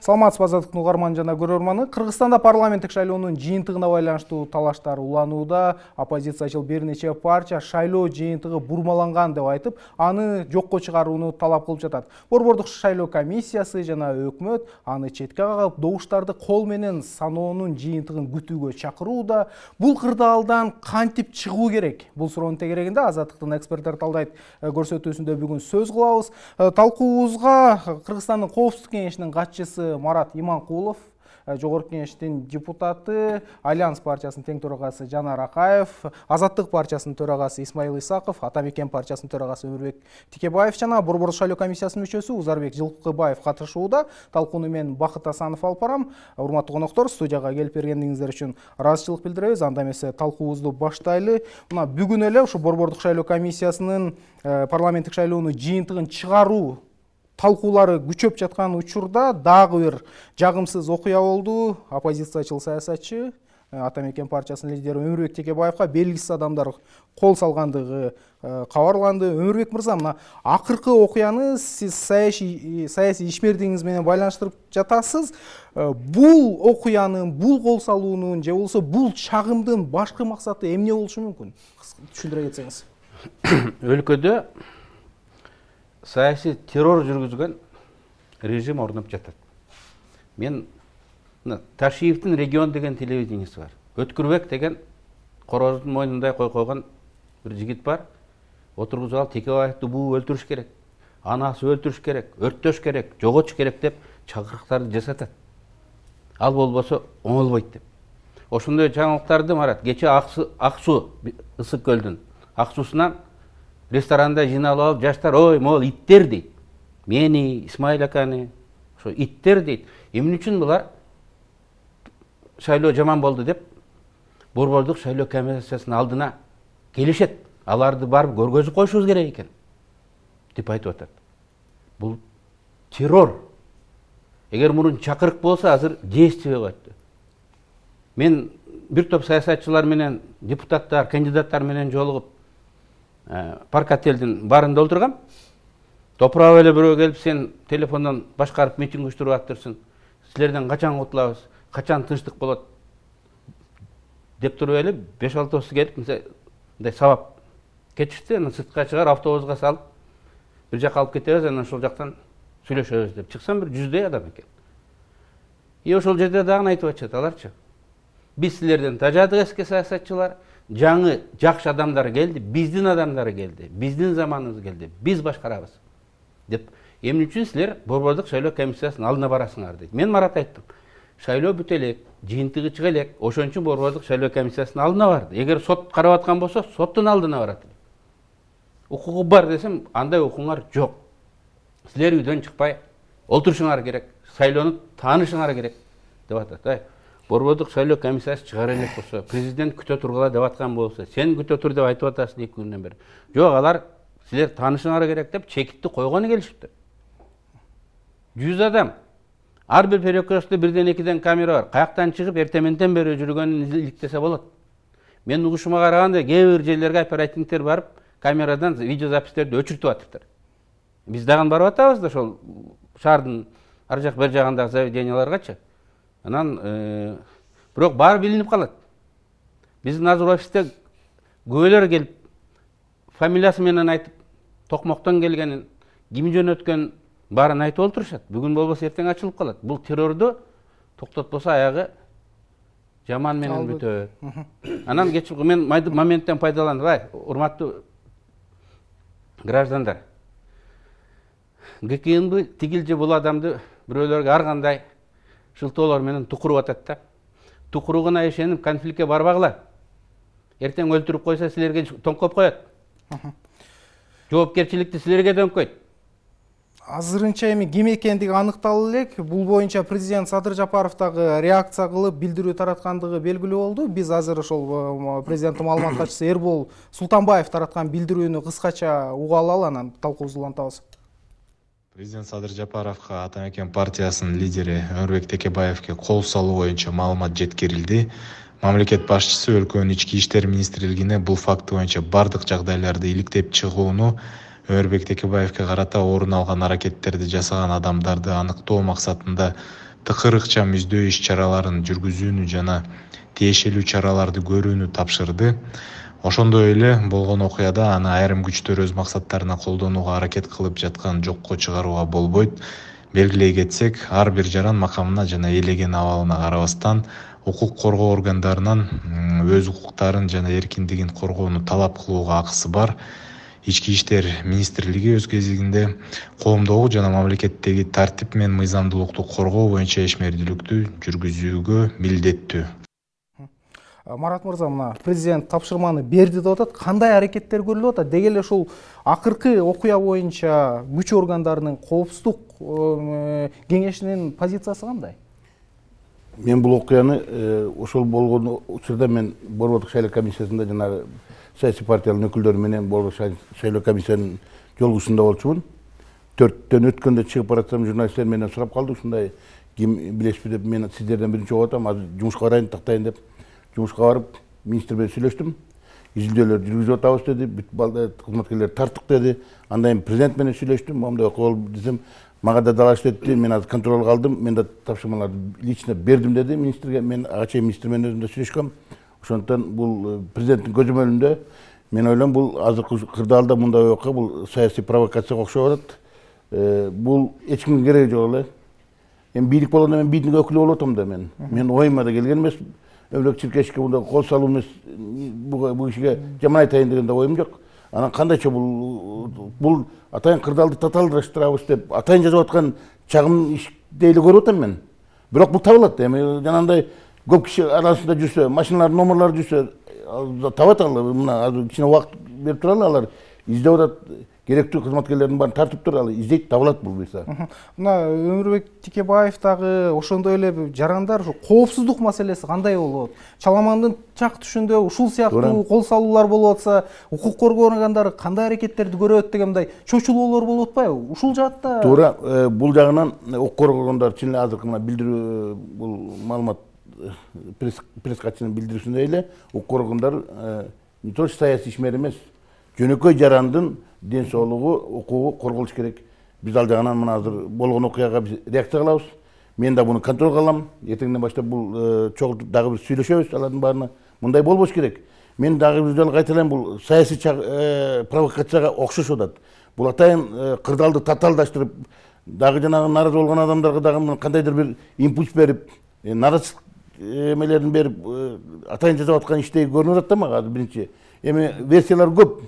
Саламатсызбы азаттыктын угарман жана көрөрманы. Кыргызстанда парламенттик шайлоонун жыйынтыгына байланыштуу талаштар уланууда. Оппозициячыл бир нече партия шайлоо жыйынтыгы бурмаланган деп айтып, аны жокко чыгарууну талап кылып жатат. Борбордук шайлоо комиссиясы жана өкмөт аны четке кагып, добуштарды кол менен саноонун жыйынтыгын күтүүгө чакырууда. Бул кырдаалдан кантип чыгуу керек? Бул суроонун тегерегинде азаттыктын эксперттер талдайт көрсөтүүсүндө бүгүн сөз кылабыз. Талкуубузга Кыргызстандын Коопсуздук кеңешинин катчысы Марат Иманкулов, Жогорку кеңештин депутаты, Альянс партиясынын тең төрагасы Жанар Акаев, Азаттык партиясынын төрагасы Исмаил Исаков, Ата Мекен партиясынын төрагасы Өмүрбек Тикебаев жана Борбордук шайлоо комиссиясынын мүчөсү Узарбек Жылкыбаев катышууда. Талкууну мен Бакыт Асанов алып барам. Урматтуу коноктор, студияга келип бергениңиздер үчүн ыраазычылык билдиребиз. Анда эмесе талкуубузду баштайлы. Мына бүгүн эле ушу Борбордук шайлоо комиссиясынын парламенттик шайлоонун жыйынтыгын чыгаруу талкуулары күчөп жаткан учурда дагы бир жагымсыз окуя болду. Оппозициячыл саясатчы Ата Мекен партиясынын лидери Өмүрбек Текебаевга белгисиз адамдар кол салгандыгы кабарланды. Өмүрбек мырза, мына акыркы окуяны сиз саясий ишмердигиңиз менен байланыштырып жатасыз. Бул окуянын, бул кол салуунун же болбосо бул чагымдын башкы максаты эмне болушу мүмкүн? Түшүндүрө кетсеңиз. Өлкөдө саясий террор жүргүзгөн режим орнуп жатат. Мен Ташиевдин регион деген телевидениеси бар. Өткүрбек деген короздун мойнундай койгон бир жигит бар. Отургузуп алып Текебаевди буу өлтүрүш керек, анасы өлтүрүш керек, өрттөш керек, жоготуш керек деп чакырыктарды жасатат. Ал болбосо оңолбойт деп. Ошондой жаңылыктарды Марат кече Ак Суу Ысык көлдүн Ак Суусунан ресторанда жыйналып алып жаштар ой могул иттер дейт. Мени, Исмаил аканы, ошо иттер дейт. Эмне үчүн булар шайлоо жаман болду деп Борбордук шайлоо комиссиясынын алдына келишет. Аларды барып көргөзүп коюшубуз керек экен деп айтып атат. Бул террор. Эгер мурун чакырык болсо азыр действие болот. Мен бир топ саясатчылар менен, депутаттар, кандидаттар менен жолугуп парк отелдин барында отургам. Топурап эле бирөө келип сен телефондон башкарып митинг уюштуруп атырсың. Силерден качан кутулабыз? Качан тынчтык болот? Деп туруп эле 5-6 келип мындай сабап кетишти. Аны сыртка чыгар автобуска салып бир жакка алып кетебиз, анан ошол жактан сүйлөшөбүз деп чыксам бир 100 адам экен. Ошол жерде дагы айтып атышат аларчы. Биз силерден тажадык эски саясатчылар, жаңы жакшы адамдар келди, биздин адамдар келди, биздин заманыбыз келди, биз башкарабыз деп. Эмне үчүн силер Борбордук шайлоо комиссиясынын алдына барасыңар дейт. Мен Марат айттым. Шайлоо бүтө элек, жыйынтыгы чыга элек, ошон үчүн Борбордук шайлоо комиссиясынын алдына барды. Эгер сот карап аткан болсо, соттун алдына барат. Укугу бар десем, андай укуңар жок. Силер үйдөн чыкпай олтурушуңар керек, шайлоону таанышыңар керек деп атат. Борбордук шайлоо комиссиясы чыгара элек болсо, президент күтө тургула деп аткан болсо, сен күтө тур деп айтып атасың 2 күндөн бери. Жок, алар силер таанышыңар керек деп чекитти койгону келишипти. 100 адам. Ар бир перекрестте 1-2 камера бар. Каяктан чыгып эртеменден бери жүргөнүн иликтесе болот. Мен угушума караганда кээ бир жерлерге оперативниктер барып, камерадан видеозапистерди өчүртүп атыптыр. Биз дагы барып атабыз да ошол шаардын ар жак бер жагындагы заведенияларгачы. Анан бирок баары билинип калат. Биздин азыр офисте көбөлөр келип фамилиясы менен айтып, токмоктон келгенин, ким жөнөткөн баарын айтып олтурушат. Бүгүн болбосо эртең ачылып калат. Бул террорду токтотпосо аягы жаман менен бүтөт. Анан мен моменттен пайдаланып, урматтуу граждандар, ГКНБ тигил же бул адамды бирөөлөргө ар кандай шылтоолор менен тукуруп атат да. Тукуругуна ишенип конфликтке барбагыла. Эртең өлтүрүп койсо силерге тоңкоп коет. Жоопкерчиликти силерге дөңкөйт. Азырынча эми ким экендиги аныкталып элек. Бул боюнча президент Садыр Жапаров дагы реакция кылып билдирүү тараткандыгы белгилүү болду. Биз азыр ошол президенттин маалымат катчысы Эрбол Султанбаев тараткан билдирүүнү кыскача уга алалы, анан талкуубузду улантабыз. Президент Садыр Жапаровго Ата Мекен партиясынын лидери Өмүрбек Текебаевге кол салуу боюнча маалымат жеткирилди. Мамлекет башчысы өлкөнүн ички иштер министрлигине бул факт боюнча бардык жагдайларды иликтеп чыгууну, Өмүрбек Текебаевге карата орун алган аракеттерди жасаган адамдарды аныктоо максатында тыкыр ыкчам издөө иш чараларын жүргүзүүнү жана тиешелүү чараларды көрүүнү тапшырды. Ошондой эле болгон окуяда аны айрым күчтөр өз максаттарына колдонууга аракет кылып жаткан жокко чыгарууга болбойт. Белгилей кетсек, ар бир жаран макамына жана ээлеген абалына карабастан укук коргоо органдарынан өз укуктарын жана эркиндигин коргоону талап кылууга акысы бар. Ички иштер министрлиги өз кезегинде коомдогу жана мамлекеттеги тартип менен мыйзамдуулукту коргоо боюнча ишмердүүлүктү жүргүзүүгө милдеттүү. Марат мырза, мына президент тапшырманы берди деп атат. Кандай аракеттер көрүлүп атат? Деги эле ушул акыркы окуя боюнча күч органдарынын коопсуздук кеңешинин позициясы кандай? Мен бул окуяны ошол болгон учурда мен Борбордук шайлоо комиссиясында жанагы саясий партиялардын өкүлдөрү менен Борбордук шайлоо комиссиянын жолугушунда болчумун. 4-төн өткөндө чыгып баратсам журналисттер менен сурап калды, ушундай ким билесизби деп, мен сиздерден биринчи окуп атам, азыр жумушка барайын, тактайын деп. Жумушка барып, министр менен сүйлөштүм. Изилдөөлөр жүргүзүп атабыз деди, бүт кызматкерлер тарттык деди. Андан кийин президент менен сүйлөштүм. Моундай окуя болуп десем, мага да далаш деди. Мен азыр контролго алдым. Мен да тапшырмаларды лично бердим деди министрге. Мен ага чейин министр менен өзүм да сүйлөшкөм. Ошондуктан бул президенттин көзөмөлүндө мен ойлойм, бул азыркы кырдаалда мындай окуя бул саясий провокацияга окшоп атат. Бул эч кимге кереги жок эле. Эми бийлик болгондо мен бийликтин өкүлү болуп атам да мен. Мен оюма да келген эмес. Өвлөк чиркешке мындай кол салуу эмес, бул кишиге жаман айтайын деген да оюм жок. Анан кандайча бул атайын кырдаалды татаалдаштырабыз деп атайын жазып аткан чагым иш дейли көрүп атам мен. Бирок бул табылат. Эми жанагындай көп киши арасында жүрсө, машиналардын номерлары жүрсө табат ал. Мына азыр кичине убакыт берип туралы, алар издеп атат. Керектүү кызматкерлердин баарын тартып туруп ал издейт, табылат бул буюрса. Мына Өмүрбек Текебаев дагы ошондой эле жарандар ушу коопсуздук маселеси кандай болот? Чаламандын чак түшүндө ушул сыяктуу кол салуулар болуп атса, укук коргоо органдары кандай аракеттерди көрөт деген мындай чочулоолор болуп атпайбы? Ушул жаатта туура бул жагынан укук коргоо органдары чын эле азыркы мына билдирүү бул маалымат пресс катчынын билдирүүсүндөй эле укук органдар не то саясий ишмер эмес, жөнөкөй жарандын ден соолугу, укугу корголуш керек. Биз ал жагынан мына азыр болгон окуяга биз реакция кылабыз. Мен да буну контролго алам. Эртеңден баштап бул чогуу дагы бир сүйлөшөбүз алардын баарына. Мындай болбош керек. Мен дагы бир жолу кайталайм, бул саясий провокацияга окшошуп атат. Бул атайын кырдаалды татаалдаштырып, дагы жанагы нааразы болгон адамдарга дагы кандайдыр бир импульс берип, нааразычылык эмелерин берип, атайын жасап аткан иштей көрүнүп атат да мага азыр биринчи. Эми версиялар көп.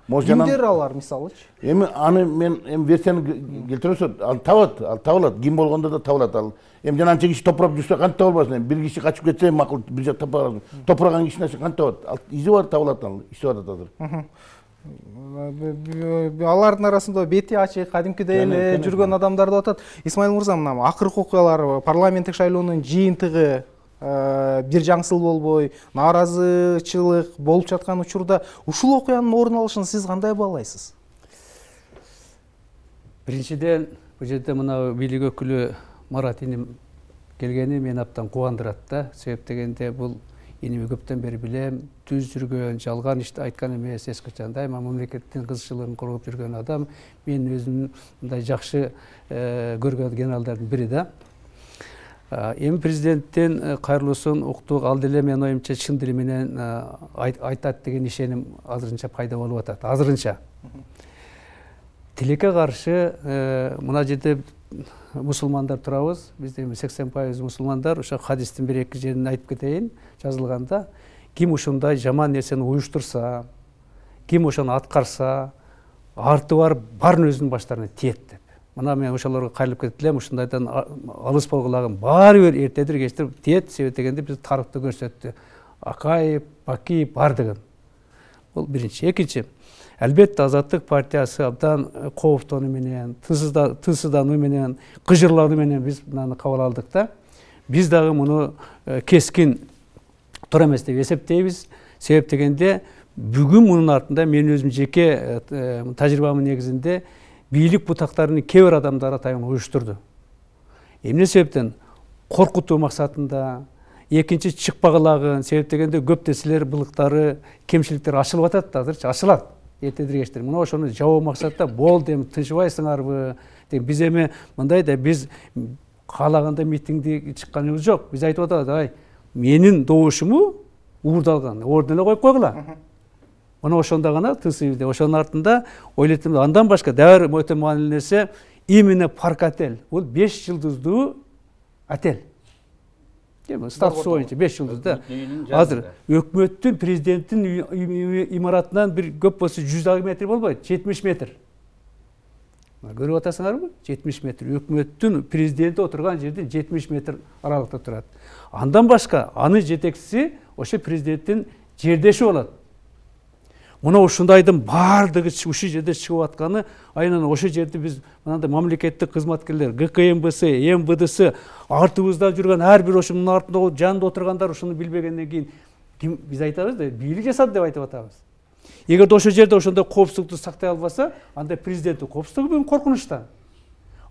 Кимдер алар мисалычы? Эми аны мен версияны келтиресем, ал табылат. Ким болгондо да табылат ал. Эми жана анча киши топурап жүрсө кантип табылбасын? Бир киши качып кетсе макул, бир жак таппаган. Топураган кишинин кантип табылат? Ал изи бар, табылат ал, иштеп атат азыр. Алардын арасында бети ачык, кадимкидей эле жүргөн адамдар деп атат. Исмаил мырза, мына акыркы окуялар, парламенттик шайлоонун жыйынтыгы бир жаңсыл болбой, нааразычылык болуп жаткан учурда ушул окуянын орун алышын сиз кандай баалайсыз? Биринчиден, бул жерде мына бийлик өкүлү Марат иним келгени мени абдан кубандырат да. Себеп дегенде бул иними көптөн бери билем, түз жүргөн, жалган ишти айткан эмес, эч качан дайыма мамлекеттин кызыкчылыгын коргоп жүргөн адам. Мен өзүм мындай жакшы көргөн генералдардын бири да. Эми президенттен кайрылуусун уктук, ал деле менин оюмча чын дили менен айтат деген ишеним азырынча пайда болуп атат. Азырынча тилекке каршы мына жерде мусулмандар турабыз. Бизде 80% мусулмандар. Ошо хадистин бир эки жерин айтып кетейин. Жазылганда ким ушундай жаман нерсени уюштурса, ким ошону аткарса, арты барын өзүнүн баштарына тиет деп. Мына мен ошолорго кайрылып кетип элем, ушундайдан алыс болгулагын баары бир эртедир кечтир тиет. Себеп дегенде биз тарыхты көрсөттү. Акаев, Бакиев бар деген. Бул биринчи. Экинчи, албетте Азаттык партиясы абдан кооптонуу менен, тынчсыздануу менен, кыжырлануу менен биз мынаны кабыл алдык да. Биз дагы муну кескин туура эмес деп эсептейбиз. Себеп дегенде бүгүн мунун артында мен өзүм жеке тажрыйбамдын негизинде бийлик бутактарынын кээ бир адамдары атайын уюштурду. Эмне себептен? Коркутуу максатында, экинчи чыкпагылагын, себеп дегенде көп нерселер, былыктары, кемчиликтер ачылып атат, азырчы ачылат. Эртедир кечтир. Мына ошону жабуу максатта болду, эми тынчыбайсыңарбы? Биз эми мындай да биз каалагандай митингди чыкканыбыз жок. Биз айтып атабыз, ай менин добушуму уурдалган, ордун эле коюп койгула. Мына ошондо гана тысыбызда, ошонун артында ойлойт, андан башка дагы өтө маанилүү нерсе, именно парк отель. Бул 5 жылдыздуу отель. Статусу боюнча 5 жылдызда. Азыр өкмөттүн, президенттин имаратынан бир көп болсо 100 метр болбойт, 70 метр. Көрүп атасыңарбы? 70 метр. Өкмөттүн президенти отурган жерден 70 метр аралыкта турат. Андан башка анын жетекчиси ошо президенттин жердеши болот. Мына ушундайдын баардыгы ушул жерде чыгып атканы, айынан ошол жерде биз мынандай мамлекеттик кызматкерлер, ГКМБС, МВДС, артыбызда жүргөн ар бир ошонун артында жанында отургандар ушуну билбегенден кийин биз айтабыз да, бийлик жасады деп айтып атабыз. Эгерде ошол жерде ошондой коопсуздукту сактай албаса, анда президенттин коопсуздугу бүгүн коркунучта.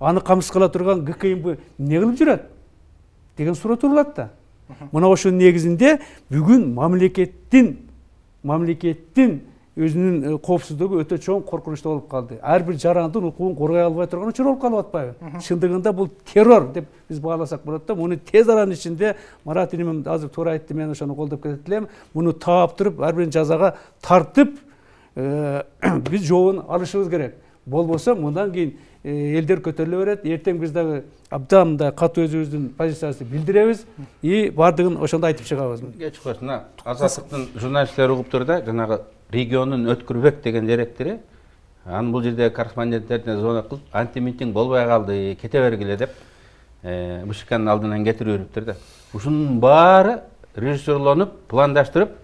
Аны камсыз кыла турган ГКМБ эмне кылып жүрөт деген суроо турулат да. Мына ошонун негизинде бүгүн мамлекеттин өзүнүн коопсуздугу өтө чоң коркунучта болуп калды. Ар бир жарандын укугун коргой албай турган учур болуп калып атпайбы? Чындыгында бул террор деп биз бааласак болот да. Муну тез аранын ичинде Марат иним азыр туура айтты, мен ошону колдоп кетет элем. Муну таап туруп, ар бирин жазага тартып, биз жообун алышыбыз керек. Болбосо мындан кийин элдер көтөрүлө берет. Эртең биз дагы абдан мындай катуу өзүбүздүн позициябызды билдиребиз и баардыгын ошондо айтып чыгабыз. Кеч койсун, мына Азаттыктын журналисттери угуптур да, жанагы регионун Өткүрбек деген директори, анын бул жерде корреспонденттерине звонок кылып, антимитинг болбой калды, кете бергиле деп, БШКнын алдынан кетирип бериптир да. Ушунун баары режиссерлонуп, пландаштырып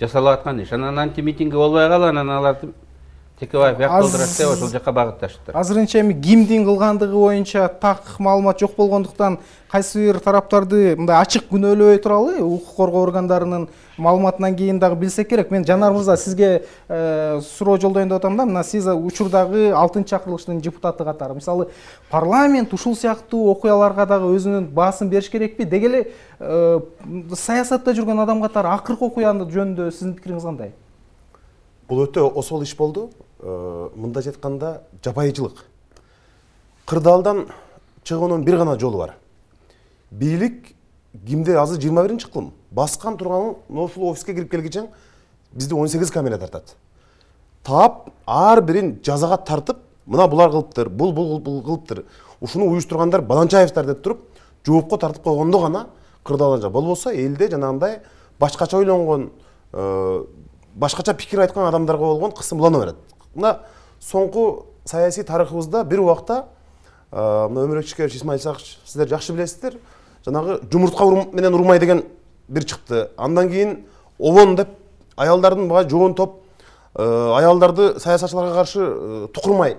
жасалып аткан иш. Анан антимитинги болбой калып, анан аларды Текебаев яктолдурат деп ошол жака багытташтыр. Азырынча эми кимдин кылгандыгы боюнча так маалымат жок болгондуктан кайсы бир тараптарды мындай ачык күнөөлөбөй туралы, укук коргоо органдарынын маалыматынан кийин дагы билсек керек. Мен Жанар мырза сизге суроо жолдоюн деп атам да, мына сиз учурдагы 6-чакырылыштын депутаты катары. Мисалы, парламент ушул сыяктуу окуяларга дагы өзүнүн баасын бериш керекпи? Деги эле саясатта жүргөн адам катары акыркы окуянын жөнүндө сиздин пикириңиз кандай? Бул өтө осол иш болду. Мындайча айтканда жапайычылык. Кырдаалдан чыгуунун бир гана жолу бар. Бийлик кимде азыр 21-кылым баскан турганын ошол офиске кирип келгиче бизди 18 камера тартат. Таап ар бирин жазага тартып, мына булар кылыптыр, бул кылыптыр. Ушуну уюштургандар Баланчаевдер деп туруп, жоопко тартып койгондо гана кырдаалдан. Болбосо элде жанагындай башкача ойлонгон, башкача пикир айткан адамдарга болгон кысым улана берет. Мына соңку саясий тарыхыбызда бир убакта мына Өмүрөк Ишкерович, Исмаил Сакыч, сиздер жакшы билесиздер, жанагы жумуртка менен урмай деген бир чыкты. Андан кийин обон деп аялдардын бага жоон топ аялдарды саясатчыларга каршы тукурмай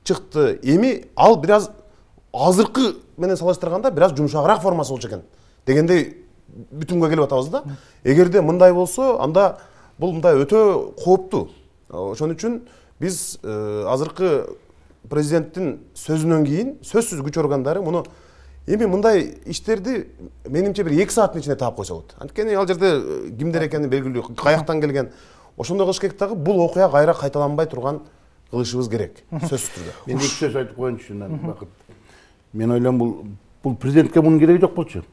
чыкты. Эми ал бир аз азыркы менен салыштырганда бир аз жумшагыраак формасы болчу экен дегендей бүтүнгө келип атабыз да. Эгерде мындай болсо, анда бул мындай өтө кооптуу. Ошон үчүн биз азыркы президенттин сөзүнөн кийин сөзсүз күч органдары муну эми мындай иштерди менимче бир 2 сааттын ичинде таап койсо болот. Анткени ал жерде кимдер экени белгилүү, каяктан келген. Ошондой кылыш керек дагы, бул окуя кайра кайталанбай турган кылышыбыз керек, сөзсүз түрдө. Мен 2 сөз айтып коеюнчу, Бакыт. Мен ойлойм, бул президентке мунун кереги жок болчу.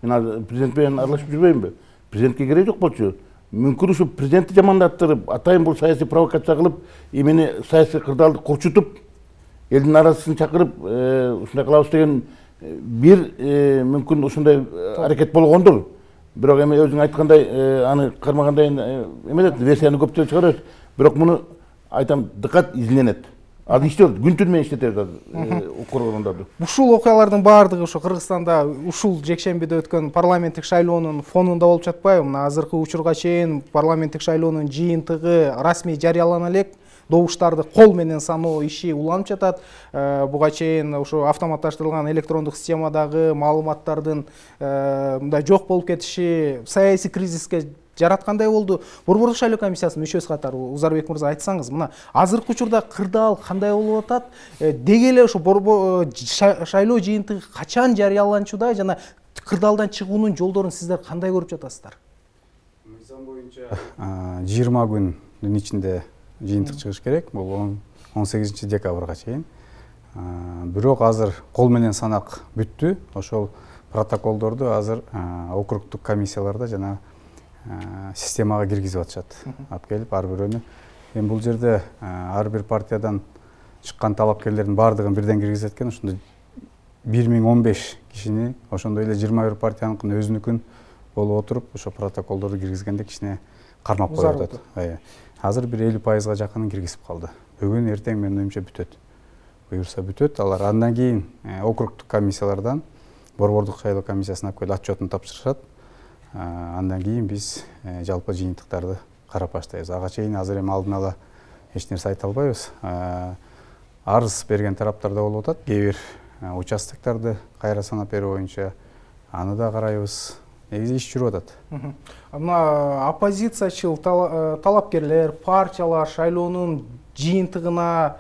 Мен президент менен аралашып жүрбөймүнбү? Президентке кереги жок болчу. Мүмкүн ушу президентти жамандаттырып, атайын бул саясий провокация кылып, эмени саясий кырдаалды курчутуп, элдин арасын чакырып, ушундай кылабыз деген бир мүмкүн ушундай аракет болгондур. Бирок эми өзүң айткандай, аны кармагандай эмес, версияны көптөө чыгарат. Бирок муну айтам, дыкат изленет. Ал иштеп, күн-түн менен иштетет укук органдарды. Ушул окуялардын баардыгы ошо Кыргызстанда ушул жекшембиде өткөн парламенттик шайлоонун фонунда болуп жатпайбы? Мына азыркы учурга чейин парламенттик шайлоонун жыйынтыгы расмий жарыялана элек, добуштарды кол менен саноо иши уланып жатат. Буга чейин ошо автоматташтырылган электрондук системадагы маалыматтардын мындай жок болуп кетиши саясий кризиске жараткандай болду. Борбордук шайлоо комиссиясынын мүчөсү катары Узарбек мырза айтсаңыз, мына азыркы учурда кырдаал кандай болуп атат? Деги эле ошо шайлоо жыйынтыгы качан жарыяланчуда жана кырдаалдан чыгуунун жолдорун сиздер кандай көрүп жатасыздар? Мыйзам боюнча 20 күндүн ичинде жыйынтык чыгыш керек. Бул 18 декабрга чейин. бирок азыр кол менен санак бүттү. Ошол протоколдорду азыр округдук комиссияларда жана системага киргизип атышат. Алып келип ар бирөөнү. Эми бул жерде ар бир партиядан чыккан талапкерлердин баардыгын бирден киргизет экен. Ошондо 1015 кишини, ошондой эле 21 партияныкын өзүнүкүн болуп отуруп, ошо протоколдорду киргизгенде кичине кармап коюп атат. Азыр бир 50%га жакынын киргизип калды. Бүгүн эртең менин оюмча бүтөт. Буюрса бүтөт. Алар андан кийин округдук комиссиялардан борбордук шайлоо комиссиясына алып келип отчетун тапшырышат. Андан кийин биз жалпы жыйынтыктарды карап баштайбыз. Ага чейин азыр эми алдын ала эч нерсе айта албайбыз. Арыз берген тараптар да болуп атат. Кээ бир участокторду кайра санап берүү боюнча аны да карайбыз. Негизи иш жүрүп атат. Мына оппозициячыл талапкерлер, партиялар шайлоонун жыйынтыгына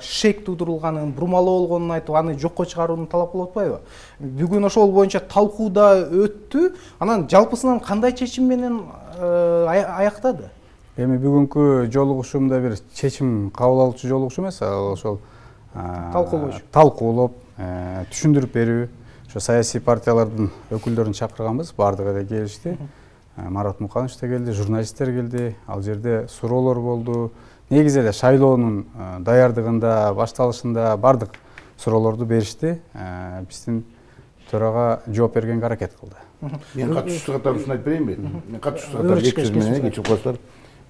шек туудурулганын, бурмалоо болгонун айтып, аны жокко чыгарууну талап кылып атпайбы? Бүгүн ошол боюнча талкуу да өттү. Анан жалпысынан кандай чечим менен аяктады? Эми бүгүнкү жолугушуумда бир чечим кабыл алуучу жолугушуу эмес, ошол талкуулоп, түшүндүрүп берүү. Ошо саясий партиялардын өкүлдөрүн чакырганбыз, баардыгы да келишти. Марат Муканович да келди, журналисттер келди. Ал жерде суроолор болду. Негизи эле шайлоонун даярдыгында, башталышында баардык суроолорду беришти. Биздин төрага жооп бергенге аракет кылды. Мен катышуучу катарымын айтып берейинби? Мен катышуучу катары 200 менен кечирип коесуздар.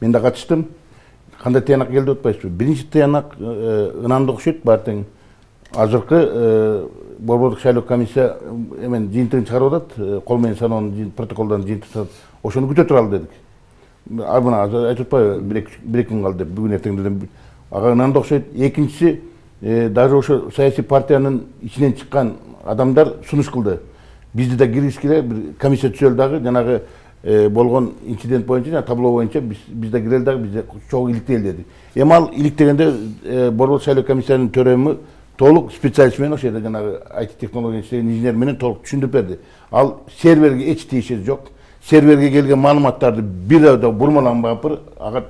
Мен да катыштым. Кандай тыянак келди деп атпайсызбы? Биринчи тыянак ынанды окшойт, баартең азыркы борбордук шайлоо комиссия эмен жыйынтыгын чыгарып атат, кол менен саноонун протоколдорун жыйынтыктап, ошону күтө туралы дедик. Мына азыр айтып атпайбы, бир эки күн калды деп, бүгүн эртеңден ага ынанды окшойт. Экинчиси, даже ошо саясий партиянын ичинен чыккан адамдар сунуш кылды. Бизди да киргизгиле, бир комиссия түзөлдү дагы, жанагы болгон инцидент боюнча, жана табло боюнча биз да кирели дагы, бизде чогуу иликтели дедик. Эми ал иликтегенде борбордук шайлоо комиссиянын төрөмү толук специалист менен ошол жерде жанагы IT технология иштеген инженер менен толук түшүндүрүп берди. Ал серверге эч тиешеси жок. Серверге келген маалыматтарды бир да бурмаланбапыр, ага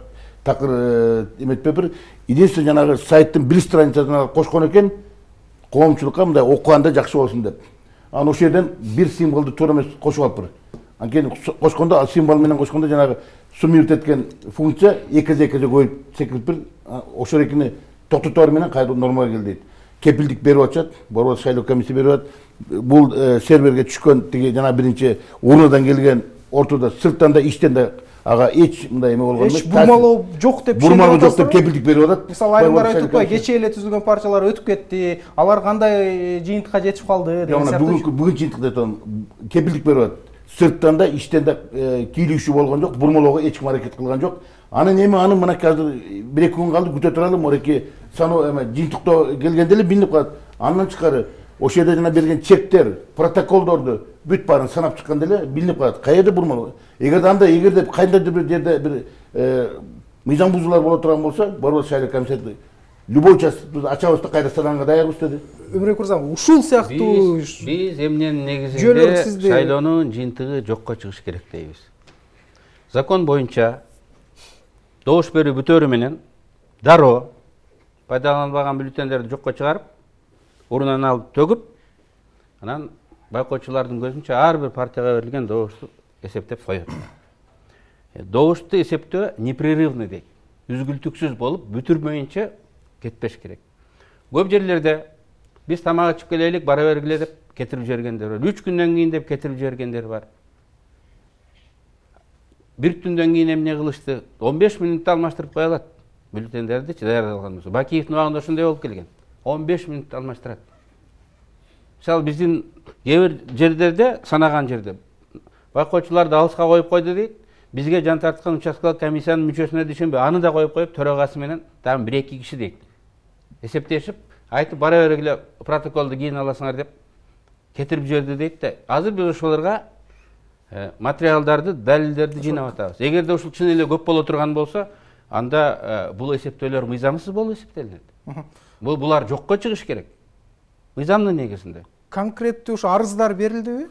такыр эметпепир. Единственное жанагы сайттын бир страницасына кошкон экен, коомчулукка мындай окуганда жакшы болсун деп. Анан ошол жерден бир символду туура эмес кошуп алыппыр. Анткени кошкондо ал символ менен кошкондо жанагы суммировать эткен функция эке коюп секириптир. Ошол экини токтотор менен кайра нормага кел дейт. Кепилдик берип атышат, борбордук шайлоо комиссия берип атат. Бул серверге түшкөн тиги жана биринчи урнадан келген ортодо сырттан да иштен да ага эч мындай эме болгон эмес. Эч бурмалоо жок деп бурмалоо жок деп кепилдик берип атат. Мисалы айрымдар айтып атпайбы, кечээ эле түзүлгөн партиялар өтүп кетти, алар кандай жыйынтыкка жетип калды деген сыяктуу. Бүгүн жыйынтык деп атам, кепилдик берип атат. Сырттан да иштен да кийлүүчү болгон жок, бурмалоого эч ким аракет кылган жок. Анын эми аны мынакей азыр бир эки күн калды, күтө туралы, мореки саноо эме жыйынтыктоо келгенде эле билинип калат. Андан тышкары ошол жерде жана берген чектер, протоколдорду бүт баарын санап чыкканда эле билинип калат. Каерде бурмалоо? Эгерде кайдандыр бир жерде бир мыйзам бузуулар боло турган болсо, борбордук шайлоо комиссиясы любой участокты ачабыз да кайра санаганга даярбыз деди. Өмүрбек мырза, ушул сыяктуу биз эмненин негизинде шайлоонун жыйынтыгы жокко чыгыш керек дейбиз. Закон боюнча добуш берүү бүтөөрү менен дароо пайдаланылбаган бюллетендерди жокко чыгарып, урунан алып төгүп, анан байкоочулардын көзүнчө ар бир партияга берилген добушту эсептеп коет. Добушту эсептөө непрерывный дейт. Үзгүлтүксүз болуп, бүтүрмөйүнчө кетпеш керек. Көп жерлерде биз тамак ичип келелик, бара бергиле деп кетирип жибергендер бар. 3 күндөн кийин деп кетирип жибергендер бар. Бир түндөн кийин эмне кылышты? 15 мүнөттө алмаштырып кое алат бюллетендерди даярдалган болсо. Бакиевдин убагында ошондой болуп келген. 15 мүнөттө алмаштырат. Мисалы биздин кээ бир жерлерде, санаган жерде байкоочуларды алыска коюп койду дейт. Бизге жан тарткан участкалык комиссиянын мүчөсүнө дишенбей, аны да коюп төрагасы менен дагы 1-2 киши дейт. Эсептешип, айтып бара бергиле протоколду кийин аласыңар деп кетирип жиберди дейт да. Азыр биз ошолорго материалдарды, далилдерди жыйнап атабыз. Эгерде ушул чын эле көп боло турган болсо, анда бул эсептөөлөр мыйзамсыз болуп эсептелинет. Булар жокко чыгыш керек. Мыйзамдын негизинде. Конкреттүү ушу арыздар берилдиби?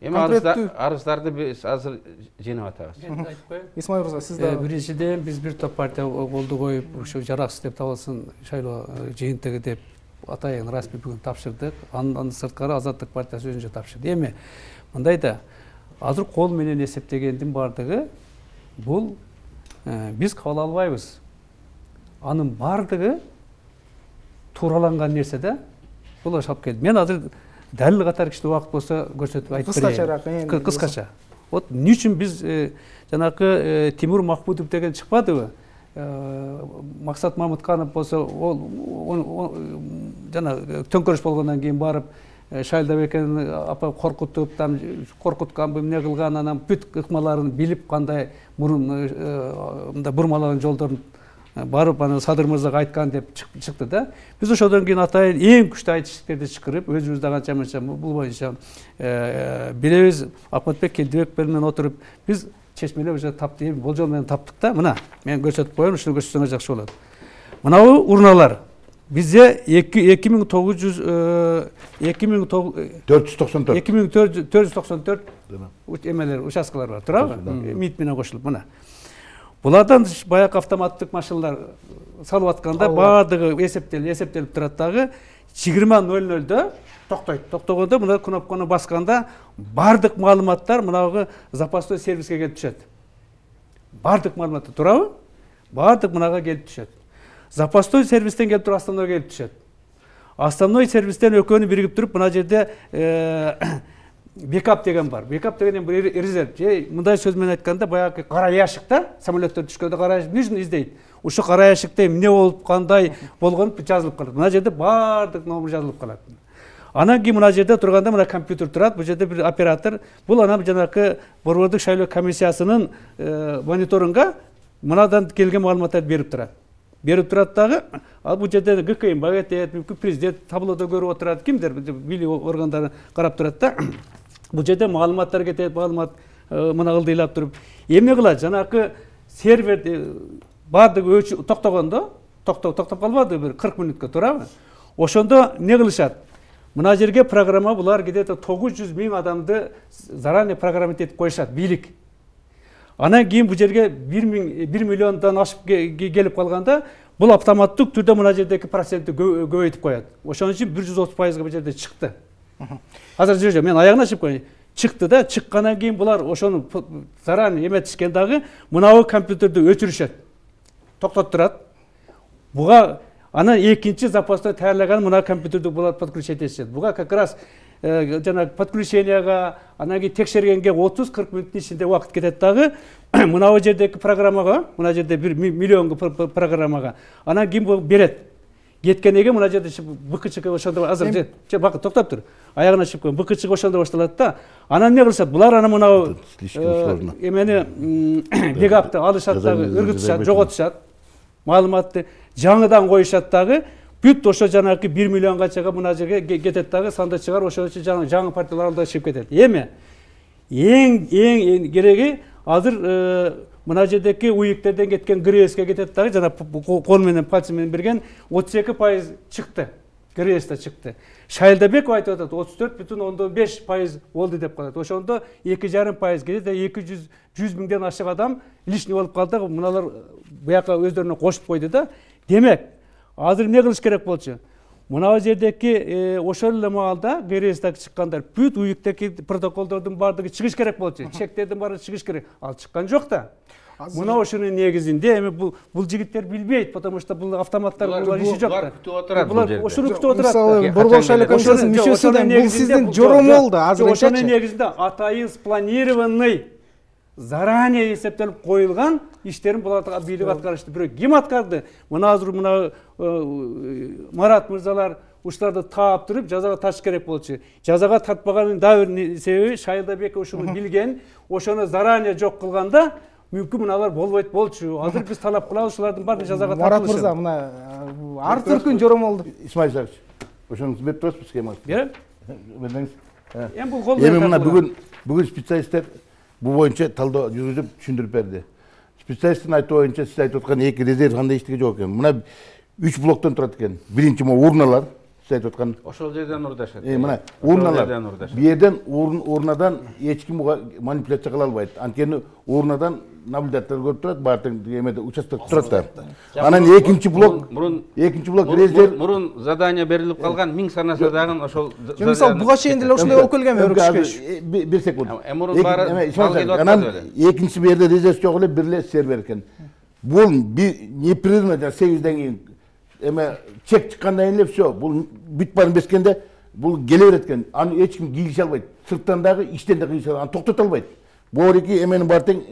Эми арыздарды биз азыр жыйнап атабыз. Исмаил мырза, сиз да биринчиден биз бир топ партия колду коюп, ушу жараксыз деп табылсын шайлоо жыйынтыгы деп атайын расмий бүгүн тапшырдык. Андан сырткары Азаттык партиясы өзүнчө тапшырды. Эми мындай да азыр кол менен эсептегендин бардыгы бул биз кабыл албайбыз. Анын бардыгы туураланган нерсе да. Бул ашап келди. Мен азыр далил катары кичине убакыт болсо көрсөтүп айтып берейин. Кыскача. Вот эмне үчүн биз жанакы Тимур Махмудов деген чыкпадыбы? Максат Мамытканов болсо ол жана төңкөрүш болгондон кийин барып Шайлдабекени апа коркутуп, там коркутканбы, эмне кылган, анан бүт ыкмаларын билип кандай мурун мындай бурмалаган жолдорун барып анан Садыр мырзага айткан деп чыкты да. Биз ошодон кийин атайын эң күчтүү айтыштерди чакырып, өзүбүз да канча мынча бул боюнча билебиз, Акматбек Келдибек менен отуруп биз чечмелеп уже таптык, болжол менен таптык да. Мына мен көрсөтүп коеюн, ушуну көрсөтсөңөр жакшы болот. Мынабу урналар. Бизде 2494 эмелер, участкалар бар, туурабы? МИД менен кошулуп, мына. Булардан баягы автоматтык машиналар салып атканда баардыгы эсептелип турат дагы 20:00-дө токтойт. Токтогондо мына кнопканы басканда баардык маалыматтар мынагы запастой сервиске келип түшөт. Баардык маалыматтар, туурабы? Баардык мынага келип түшөт. Запастой сервистен келип туруп основной келип түшөт. Основной сервистен экөөнү биригип туруп мына жерде бекап деген бар. Бекап деген бир резерв. Мындай сөз менен айтканда баягы кара ящикта самолеттер түшкөндө кара ящик нежин издейт. Ушу кара ящикте эмне болуп, кандай болгону жазылып калат. Мына жерде баардык номер жазылып калат. Анан кийин мына жерде турганда мына компьютер турат. Бул жерде бир оператор. Бул анан жанакы борбордук шайлоо комиссиясынын мониторунга мынадан келген маалыматтарды берип турат. Берип турат дагы, ал бул жерде ГКМ багетет, мүмкүн президент таблодо көрүп отурат, кимдер билүү органдары карап турат да. Бул жерде маалыматтар кетет, маалымат мына ылдыйлап туруп. Эмне кылат? Жанакы сервер баардыгы токтогондо, токтоп калбады бир 40 мүнөткө, туурабы? Ошондо эмне кылышат? Мына жерге программа булар где-то 900 000 адамды заранее программа этип коюшат, бийлик. Анан кийин бул жерге 1 миллиондон ашып келип калганда, бул автоматтык түрдө мына жердеги процентти көбөйтүп коет. Ошон үчүн 130%га бул жерде чыкты. Азыр мен аягына чыгып коеюн. Чыкты да, чыккандан кийин булар ошону заранее эметишкен дагы мынабу компьютерди өчүрүшөт. Токтотуп турат. Буга анан экинчи запастой таярлаган мына компьютерди булар подключить этишет. Буга как раз жана подключенияга, анан кийин текшергенге 30-40 мүнөттүн ичинде убакыт кетет дагы. Мынабу жердеги программага, мына жерде 1 миллионго программага. Анан кийин бул берет. Кеткенеге мына жерде БКЧ ошондо азыр бакы токтоп тур. Аягына чыгып коеюн. БКЧ ошондо башталат да. Анан эмне кылышат? Булар анан мынабу эмени бекапты алышат дагы, ыргытышат, жоготушат. Маалыматты жаңыдан коюшат дагы. Бүт ошо жанакы 1 миллионга чыгып мына жерге кетет дагы, санда чыгар, ошо үчүн жаңы партиялар алда чыгып кетет. Эми эң кереги азыр мына жердеки уюктерден кеткен ГРСке кетет дагы, жана кол менен пальцы менен берген 32% чыкты. ГРСте чыкты. Шайлдабеков айтып атат 34,5% болду деп калат. Ошондо 2,5% кетет, 200 миңден ашык адам лишний болуп калды. Мыналар буяка өздөрүнө кошуп койду да. Демек, азыр эмне кылыш керек болчу? Мына жердеки ошол эле маалда ГРСте чыккандар бүт уюктеги протоколдордун баардыгы чыгыш керек болчу. Чектердин баары чыгыш керек. Ал чыккан жок да. Мына ошонун негизинде эми бул жигиттер билбейт, потому что бул автоматтар булар иши жок да. Булар ошону күтүп отурат. Борбор шайлоо комиссиясынын мүчөсү да бул сиздин жоромолду азыр. Ошонун негизинде атайын спланированный, заранее эсептелип коюлган иштерин булар бийлик аткарышты. Бирок ким аткарды? Мына азыр мына Марат мырзалар ушуларды таап туруп жазага тартыш керек болчу. Жазага тартпаганын дагы бир себеби Шайлдабек ошону билген, ошону заранее жок кылганда мүмкүн мыналар болбойт болчу. Азыр биз талап кылабыз ушулардын баарын жазага тартылышы. Марат мырза, мына ар түркүн жоромолду. Исмаил Исакович, ошону берип турасызбы схеманы? Берем. Бердиңиз. Эми бул кол менен мына бүгүн специалисттер бул боюнча талдоо жүргүзүп түшүндүрүп берди. Специалисттин айтуу боюнча сиз айтып аткан эки резерв кандай иштеге жок экен. Мына 3 блоктон турат экен. Биринчи могу урналар, сиз айтып аткан ошол жерден урдашат. мына урналар бу жерден урнадан эч ким буга манипуляция кыла албайт. Анткени урнадан наблюдатель көрүп турат, баардык эмеде участок турат да. Анан экинчи блок резерв мурун задание берилип калган 1000 санаса дагы ошол. Мисалы буга чейин деле ошондой болуп келгенби өркүчкөч? Бир секунд. Мурун баары анан экинчи бу жерде резерв жок эле бир эле сервер экен. Бул непрерывно 8ден кийин эме чек чыккандан кийин эле все, бул бүт баарын бескенде бул келе берет экен. Аны эч ким кийгише албайт. Сырттан дагы, ичтен да кийгише албайт. Аны токтото албайт. Борики эменин баары тең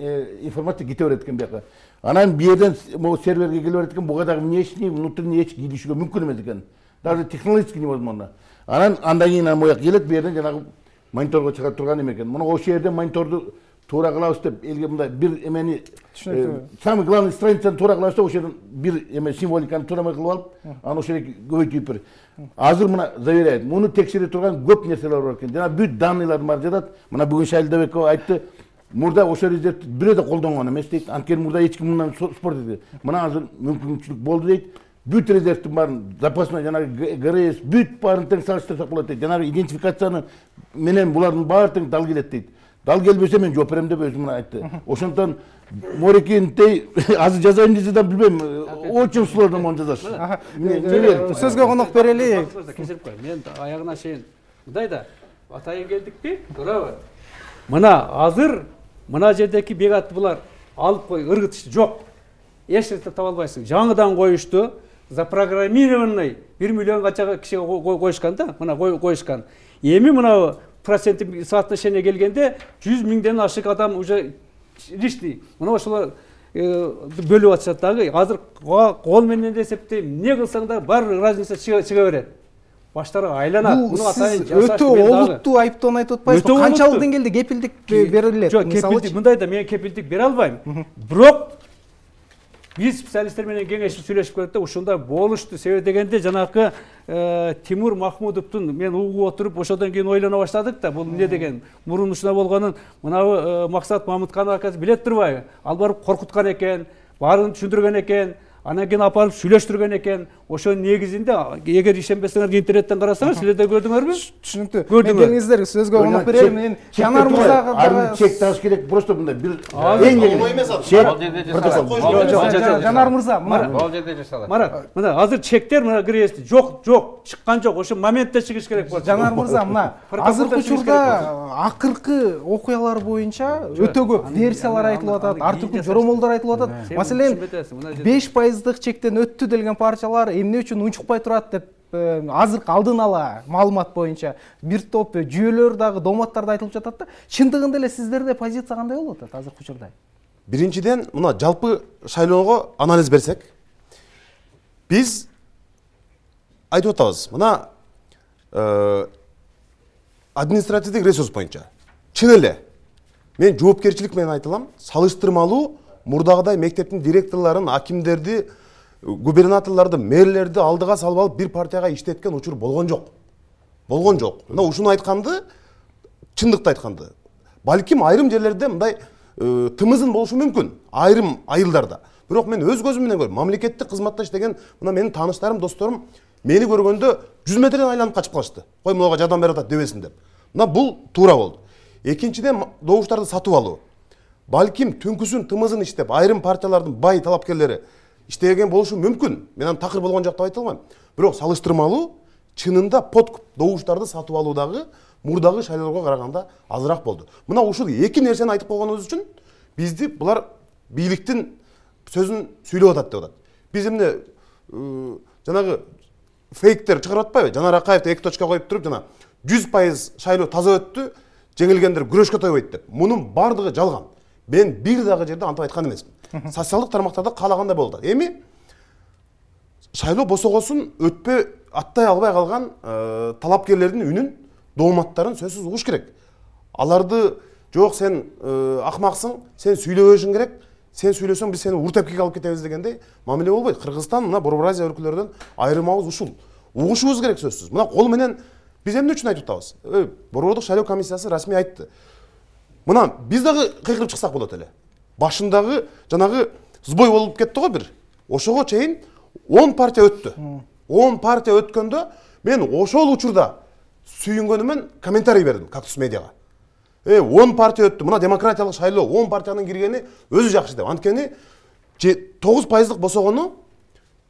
информация кете берет экен бияка. Анан бу жерден могу серверге келе берет экен, буга дагы внешний, внутренний эч кийилишүүгө мүмкүн эмес экен. Даже технологически невозможно. Анан андан кийин мояк келет, бу жерден жанагы мониторго чыга турган эме экен. Муну ошол жерден мониторду туура кылабыз деп элге мындай бир эмени самый главный страницаны туура кылабыз деп ошол жерден бир эме символиканы туурабай кылып алып, аны ошол жерге көбөйтүп бир. Азыр мына заверяет, муну текшере турган көп нерселер бар экен. Жана бүт данныйлар бар жатат. Мына бүгүн Шайлдабеков айтты, мурда ошол резервди бирөө да колдонгон эмес дейт. Анткени мурда эч ким мындан спорт этти. Мына азыр мүмкүнчүлүк болду дейт. Бүт резервдин баарын запасной жанагы ГРС бүт баарын тең салыштырсак болот дейт. Жанагы идентификацияны менен булардын баары тең дал келет дейт. Дал келбесе мен жооп берем деп өзүм айтты. Ошондон Морекинтей азыр жазайын десе да билбейм. Очень сложно мону жазаш. Сөзгө конок берели. Кесип кой. Мен аягына чейин мындай да атайын келдикпи? Туурабы? Мына азыр мына жердеки бегатты булар алып кой, ыргытышты жок. Эч нерсе таба албайсың. Жаңыдан коюшту, запрограммированный 1 миллион кача кишиге коюшкан да, мына коюшкан. Эми мына проценттик соотношение келгенде 100 миңден ашык адам уже лишний. Мына ошолор бөлүп атышат дагы. Азыр кол менен эсептейм, эмне кылсаң да бар разница чыга берет. Баштары айланат. Муну атайын жасаш. Өтө олуттуу айыптоону айтып атпайсызбы? Канчалык деңгээлде кепилдик берилет? Жок, кепилдик мындай да мен кепилдик бере албайм. Бирок биз специалисттер менен кеңешип сүйлөшүп көрдүк да, ушундай болушту. Себеби дегенде жанакы Тимур Махмудовдун мен угуп отуруп ошодон кийин ойлоно баштадык да, бул эмне деген. Мурун ушундай болгонун мынабы Максат Мамытканов акасы билет турбайбы? Ал барып коркуткан экен, баарын түшүндүргөн экен. Анан кийин апарып сүйлөштүргөн экен. Ошонун негизинде эгер ишенбесеңер интернеттен карасаңар, силер да көрдүңөрбү? Түшүнүктүү. Келиңиздер сөзгө конок берели. Мен Жанар мырзага дагы чек тагыш керек, просто мындай бир оңой эмес азыр. Жанар мырза, мына бул жерде жасалат. Марат, мына азыр чектер мына кирести. Жок, чыккан жок. Ошо моментте чыгыш керек болот. Жанар мырза, мына азыркы учурда акыркы окуялар боюнча өтө көп версиялар айтылып атат, ар түрдүү жоромолдор айтылып атат. Маселен 5% чектен өттү делген парчалар эмне үчүн унчукпай турат деп азыркы алдын ала маалымат боюнча бир топ жүйөлөр дагы доматтарда айтылып жатат да. Чындыгында эле сиздерде позиция кандай болуп атат азыркы учурда? Биринчиден, мына жалпы шайлоого анализ берсек, биз айтып атабыз. Мына административдик ресурс боюнча чын эле мен жоопкерчилик менен айтылам, салыштырмалуу мурдагыдай мектептин директорлорун, акимдерди, губернаторлорду, мэрлерди алдыга салып алып бир партияга иштеткен учур болгон жок. Мына ушуну айтканды, чындыкты айтканды. Балким айрым жерлерде мындай тымызын болушу мүмкүн, айрым айылдарда. Бирок мен өз көзүм менен көрдүм. Мамлекеттик кызматта иштеген мына менин тааныштарым, досторум мени көргөндө 100 метрден айланып качып калышты. Кой мага жардам берип атат дебесин деп. Мына бул туура болду. Экинчиден, добуштарды сатып алуу. Балким түнкүсүн тымызын иштеп, айрым партиялардын бай талапкерлери иштеген болушу мүмкүн. Мен аны такыр болгон жок деп айта албайм. Бирок салыштырмалуу чынында подкуп добуштарды сатып алуудагы мурдагы шайлоого караганда азыраак болду. Мына ушул эки нерсени айтып койгонубуз үчүн бизди булар бийликтин сөзүн сүйлөп атат деп атат. Биз эмне жанагы фейктер чыгарып атпайбы? Жанар Акаевди 2 точка коюп туруп жана 100% шайлоо таза өттү, жеңилгендер күрөшкө тойбойт деп. Мунун бардыгы жалган. Мен бир дагы жерде антип айткан эмесмин. Социалдык тармактарда каалагандай болду. Эми шайлоо босогосун өтпөй аттай албай калган талапкерлердин үнүн, дооматтарын сөзсүз угуш керек. Аларды жок сен акмаксың, сен сүйлөбөшүң керек, сен сүйлөсөң биз сени уртепкеге алып кетебиз дегендей мамиле болбойт. Кыргызстан мына Борбор-Азия өлкөлөрдөн айрымабыз ушул. Угушубуз керек сөзсүз. Мына кол менен биз эмне үчүн айтып атабыз? Борбордук шайлоо комиссиясы расмий айтты. Мына биз дагы кыйкырып чыксак болот эле. Башындагы жанагы сбой болуп кетти го бир. Ошого чейин 10 партия өттү. 10 партия өткөндө Мен ошол учурда сүйүнгөнүмөн комментарий бердим Кактус медиага. 10 партия өттү. Мына демократиялык шайлоо, 10 партиянын киргени өзү жакшы деп. Анткени 9% босогону,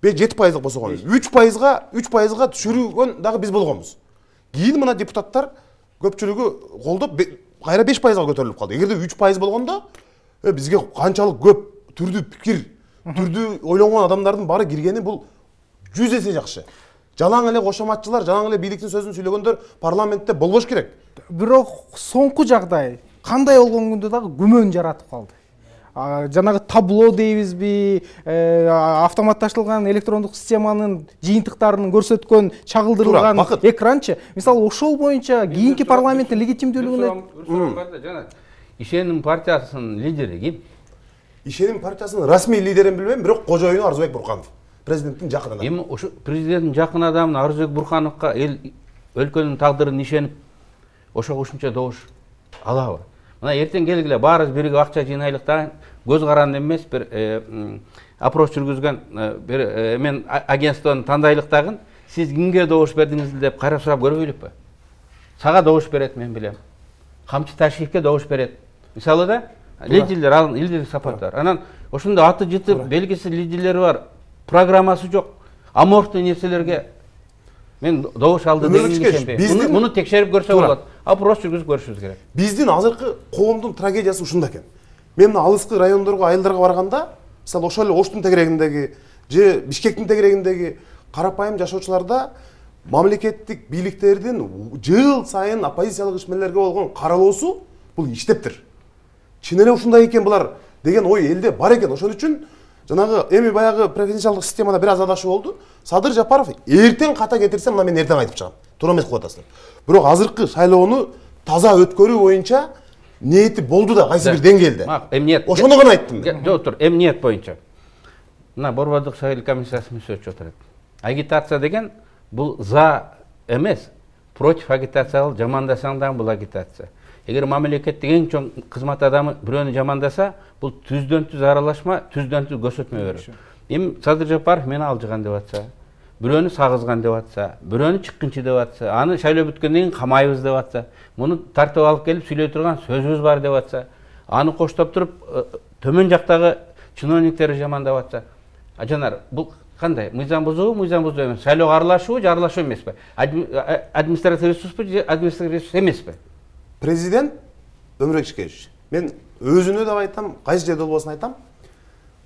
7% босогону. 3%га түшүргөн дагы биз болгонбуз. Кийин мына депутаттар көпчүлүгү колдоп кайра 5%га көтөрүлүп калды. Эгерде 3% болгондо бизге канчалык көп түрдүү пикир, түрдүү ойлонгон адамдардын баары киргени бул 100 эсе жакшы. Жалаң эле кошоматчылар, жалаң эле бийликтин сөзүн сүйлөгөндөр парламентте болбош керек. Бирок соңку жагдай кандай болгон күндө дагы күмөн жаратып калды. Жанагы табло дейбизби, автоматташтырылган электрондук системанын жыйынтыктарын көрсөткөн чагылдырылган экранчы. Мисалы ошол боюнча кийинки парламенттин легитимдүүлүгүнө жана Ишеним партиясынын лидери ким? Ишеним партиясынын расмий лидерин билбейм, бирок кожоюну Арзыбек Бурканов. Президенттин жакын адамы. Эми ошо президенттин жакын адамы Арзыбек Буркановго эл өлкөнүн тагдырын ишенип ошо кошумча добуш алабы? Мына эртең келгиле баарыбыз бирге акча жыйнайлык да, көз каранды эмес бир опрос жүргүзгөн бир мен агентствону тандайлык дагы, сиз кимге добуш бердиңиз деп кайра сурап көрбөйлүкпү? Сага добуш берет, мен билем. Камчы Ташиевке добуш берет. Мисалы да, лидерлер, ал лидер сапаттар. Анан ошондо аты жыты белгисиз лидерлери бар, программасы жок, аморфтуу нерселерге мен добуш алды деген ишенбейм. Муну текшерип көрсө болот. Опрос жүргүзүп көрүшүбүз керек. Биздин азыркы коомдун трагедиясы ушунда экен. Мен алыскы райондорго, айылдарга барганда, мисалы ошол эле Оштун тегерегиндеги же Бишкектин тегерегиндеги карапайым жашоочуларда мамлекеттик бийликтердин жыл сайын оппозициялык ишмерлерге болгон каралоосу бул иштептир. Чын эле ушундай экен булар деген ой элде бар экен. Ошон үчүн жанагы эми баягы преференциалдык системада бир аз адашуу болду. Садыр Жапаров эртең ката кетирсе, мына мен эртең айтып чыгам. Туура эмес кылып атасыздар. Бирок азыркы шайлоону таза өткөрүү боюнча ниети болду да кайсы бир деңгээлде. Эмниет. Ошону гана айттым мен. Жок, тур, эмниет боюнча. Мына Борбордук шайлоо комиссиясы мүчөсү отурат. Агитация деген бул за эмес, против агитация кылып жамандасаң дагы бул агитация. Эгер мамлекеттик эң чоң кызмат адамы бирөөнү жамандаса, бул түздөн түз аралашма, түздөн түз көрсөтмө берүү. Эми Садыр Жапаров мени алжыган деп атса, бирөөнү сагызган деп атса, бирөөнү чыккынчы деп атса, аны шайлоо бүткөндөн кийин камайбыз деп атса, муну тартып алып келип сүйлөй турган сөзүбүз бар деп атса, аны коштоп туруп төмөн жактагы чиновниктер жамандап атса, Жанар, бул кандай? Мыйзам бузуу эмес. Шайлоого аралашуу же аралашуу эмеспи? Административдик ресурспу же административдик ресурс эмеспи? Президент Өмүрбек Ишкеевич, мен өзүнө деп айтам, кайсы жерде болбосун айтам,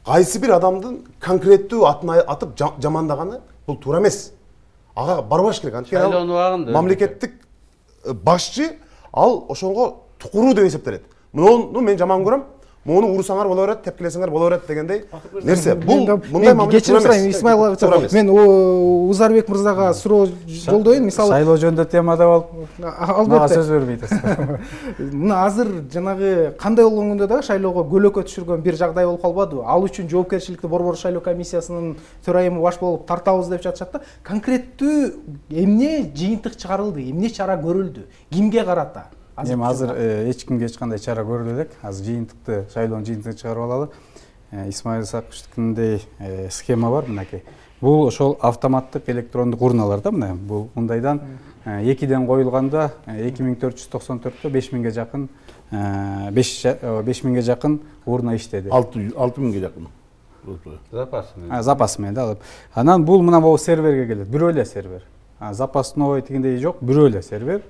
кайсы бир адамдын конкреттүү атын атып жамандаганы бул туура эмес. Ага барбаш керек. Анткени мамлекеттик башчы ал ошонго тукуруу деп эсептелет. Муну мен жаман көрөм. Муну урусаңар боло берет, тепкилесеңер боло берет дегендей нерсе. Бул мындай мамлекет кечирим сурайм, Исмаил агачы. Мен Узарбек мырзага суроо жолдойм. Мисалы шайлоо жөнүндө темада болуп, мага сөз бербей атасыз. Мына азыр жанагы кандай болгон күндө дагы шайлоого көлөкө түшүргөн бир жагдай болуп калбадыбы? Ал үчүн жоопкерчиликти Борбор шайлоо комиссиясынын төрайымы баш болуп тартабыз деп жатышат да. Конкреттүү эмне жыйынтык чыгарылды, эмне чара көрүлдү, кимге карата? Эми азыр эч кимге эч кандай чара көрүлө элек. Азыр жыйынтыкты, шайлоонун жыйынтыгын чыгарып алалы. Исмаил Исаковичтикиндей схема бар мынакей. Бул ошол автоматтык электрондук урналар да мына. Бул мындайдан 2ден коюлганда 2494-тө 5000ге жакын 5000ге жакын урна иштеди. 6000ге жакын. Запас менен да алып. Анан бул мына могу серверге келет. Бирөө эле сервер. Запасной тигиндей жок, бирөө эле сервер.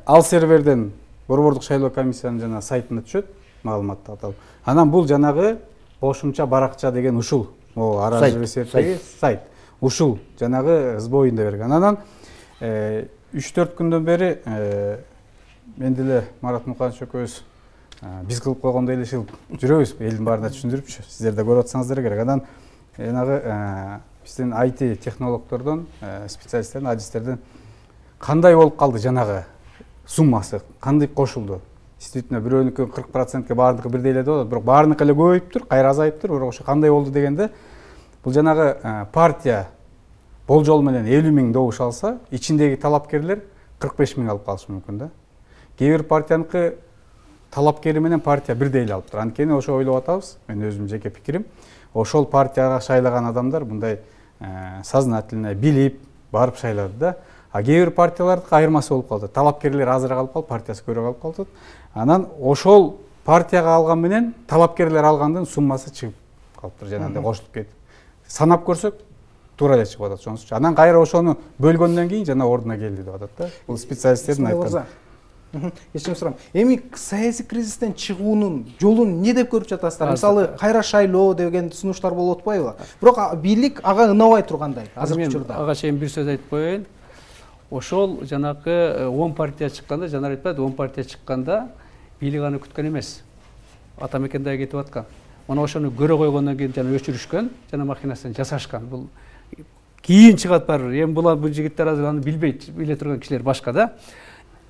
Ал серверден Борбордук шайлоо комиссиянын жана сайтына түшөт, маалыматты аталып. Анан бул жанагы кошумча баракча деген ушул, могу аражбесеттеги сайт. Ушул жанагы сбоюнда берген. Анан 3-4 күндөн бери мен деле Марат Муканович экөөбүз биз кылып койгондой эле ишилип жүрөбүз, элдин баарына түшүндүрүпчү. Сиздер да көрүп атсаңыздар керек. Анан жанагы биздин IT технологдордон, специалисттердин, адистерден кандай болуп калды жанагы суммасы, кандай кошулду? Действительно, бирөөнүкү 40%ке баардыгы бирдей эле болот, бирок баарыныкы эле көбөйүптүр, кайра азайыптыр, бирок ошо кандай болду дегенде, бул жанагы партия болжол менен 50 000 добуш алса, ичиндеги талапкерлер 45 000 алып калышы мүмкүн да. Кээ бир партияныкы талапкери менен партия бирдей эле алыптыр. Анткени ошо ойлоп атабыз, мен өзүмдүн жеке пикирим, ошол партияга шайлаган адамдар мындай сознательно билип, барып шайлады да. А кээ бир партиялардын айырмасы болуп калды. Талапкерлер азыраак алып калып, партиясы көбүрөөк алып калды. Анан ошол партияга алган менен талапкерлер алгандын суммасы чыгып калыптыр, жанагындай кошулуп кетип. Санап көрсөк туура эле чыгып атат ошонусу. Анан кайра ошону бөлгөндөн кийин жана ордуна келди деп атат да. Бул специалисттердин айтканы. Кечирим сурайм. Эми саясий кризистен чыгуунун жолун эмне деп көрүп жатасыздар? Мисалы, кайра шайлоо деген сунуштар болуп атпайбы? Бирок бийлик ага ынабай тургандай азыркы учурда. Ага чейин бир сөз айтып коеюн. Ошол жанакы 10 партия чыкканда, жанар айтпады, 10 партия чыкканда бийлик аны күткөн эмес. Атамекенде кетип аткан. Мына ошону көрө койгондон кийин жана өчүрүшкөн, жана махинасын жасашкан. Бул кийин чыгат барбыр. Эми бул жигиттер азыр аны билбейт, биле турган кишилер башка да.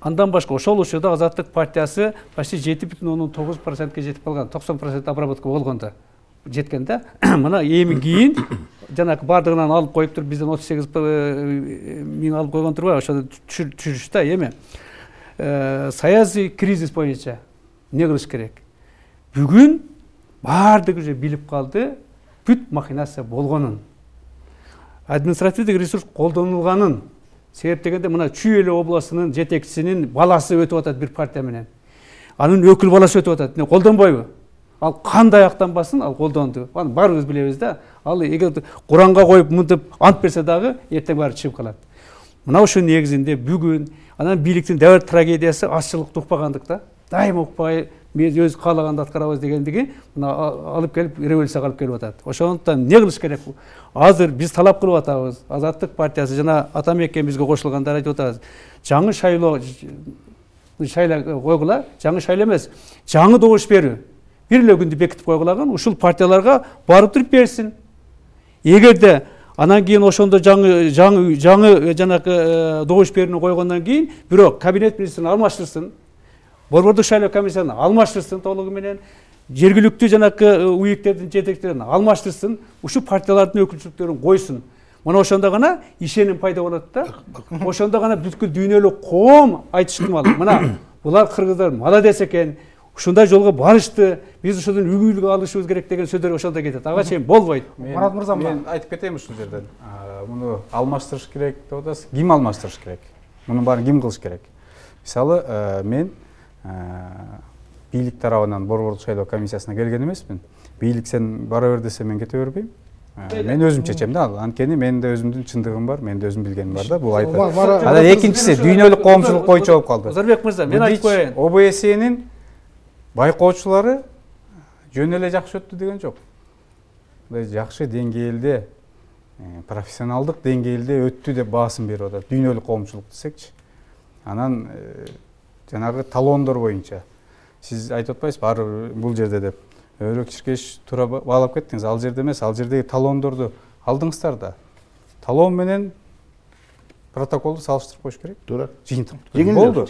Андан башка ошол учурда Азаттык партиясы почти 7,9%га жетип калган, 90% обработка болгондо жеткен да. Мына эми кийин жанакы бардыгынан алып коюп туруп, бизден 38 миң алып койгон турбайбы? Ошону түшүрүш да эми. Саясий кризис боюнча эмне кылыш керек? Бүгүн бардыгы уже билип калды, бүт махинация болгонун. Административдик ресурс колдонулганын. Себеп дегенде мына Чүй эле областынын жетекчисинин баласы өтүп атат бир партия менен. Анын өкүл баласы өтүп атат. Эмне колдонбойбу? Ал кандай аяктанбасын, ал колдонду. Аны баарыбыз билебиз да. Ал эгер Куранга коюп мынтип ант берсе дагы эртең баары чыгып калат. Мына ошонун негизинде бүгүн анан бийликтин дәвр трагедиясы азчылыкты укпагандык да. Дайыма укпай, биз өз каалаганды аткарабыз дегендиги мына алып келип революцияга алып келип атат. Ошондуктан эмне кылыш керек? Азыр биз талап кылып атабыз. Азаттык партиясы жана Атамекен бизге кошулгандар айтып атабыз. Жаңы шайлоо койгула, жаңы шайлоо эмес, жаңы добуш берүү. Бир эле күндү бекитип койгулаган, ушул партияларга барып туруп берсин. Эгерде анан кийин ошондо жаңы жанакы добуш берүүнү койгондон кийин бирок кабинет министрин алмаштырсын, борбордук шайлоо комиссиясын алмаштырсын толугу менен, жергиликтүү жанакы уюктердин жетекчилерин алмаштырсын, ушул партиялардын өкүлчүлүктөрүн койсун. Мына ошондо гана ишеним пайда болот да. Ошондо гана бүткүл дүйнөлүк коом айтыштымал. Мына булар кыргыздар молодец экен. Ушундай жолго барышты. Биз ушудан үгүлгө алышыбыз керек деген сөздөр ошондо кетет. Ага чейин болбойт. Марат мырза, мен айтып кетейин ушул жерден. Муну алмаштырыш керек деп атасыз. Ким алмаштырыш керек? Мунун баарын ким кылыш керек? Мисалы, мен бийлик тарабынан борбордук шайлоо комиссиясына келген эмесмин. Бийлик сен бара бер десе мен кете бербейм. Мен өзүм чечем да. Анткени менде өзүмдүн чындыгым бар, менде өзүм билгеним бар да. Бул айтат. Анан экинчиси дүйнөлүк коомчулук боюнча болуп калды. Озорбек мырза, мен айтып коеюн. ОБСЕнин байкоочулары жөн эле жакшы өттү деген жок. Жакшы деңгээлде, профессионалдык деңгээлде өттү деп баасын берип атат. Дүйнөлүк коомчулук десекчи. Анан жанагы талондор боюнча сиз айтып атпайсызбы, ар бул жерде деп. Өрөк чиркеш туура баалап кеттиңиз. Ал жерде эмес, ал жердеги талондорду алдыңыздар да. Талон менен протоколду салыштырып коюш керек. Туура. Жыйынтык болду.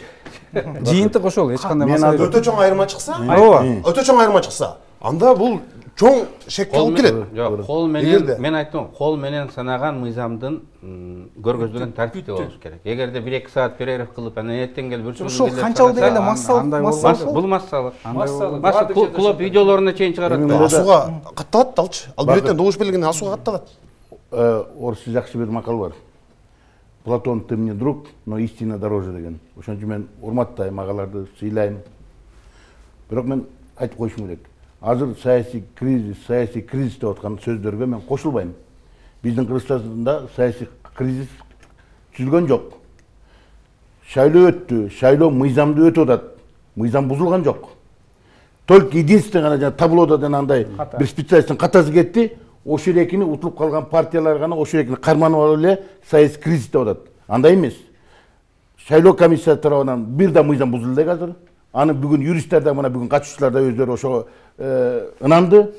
Жыйынтык ошол, эч кандай маселе жок. Өтө чоң айырма чыкса, Өтө чоң айырма чыкса, анда бул чоң шекке алып келет. Жок, кол менен мен айттым, кол менен санаган мыйзамдын көргөзүлгөн тартипте болуш керек. Эгерде 1-2 саат перерыв кылып, анан эртең келип үрчүп ошол канчалык дегенде массалык. Бул массалык. Клуб видеолоруна чейин чыгарат. Асууга катталат алчы. Ал бирден добуш берилгенде асууга катталат. Орусча жакшы бир макал бар. Платон, ты мне друг, но истина дороже деген. Ошон үчүн мен урматтайм, агаларды сыйлайм. Бирок мен айтып коюшум керек. Азыр саясий кризис деп аткан сөздөргө мен кошулбайм. Биздин Кыргызстанда саясий кризис түзүлгөн жок. Шайлоо өттү, шайлоо мыйзамды өтүп атат. Мыйзам бузулган жок. Только единственный гана таблода андай бир специалисттин катасы кетти. Ошол экини утулуп калган партиялар гана ошол экини карманып алып эле саясий кризис деп атат. Андай эмес. Шайлоо комиссиясы тарабынан бир да мыйзам бузулду азыр. Аны бүгүн юристтер да мына бүгүн катышуучулар да өздөрү ошого ынанды.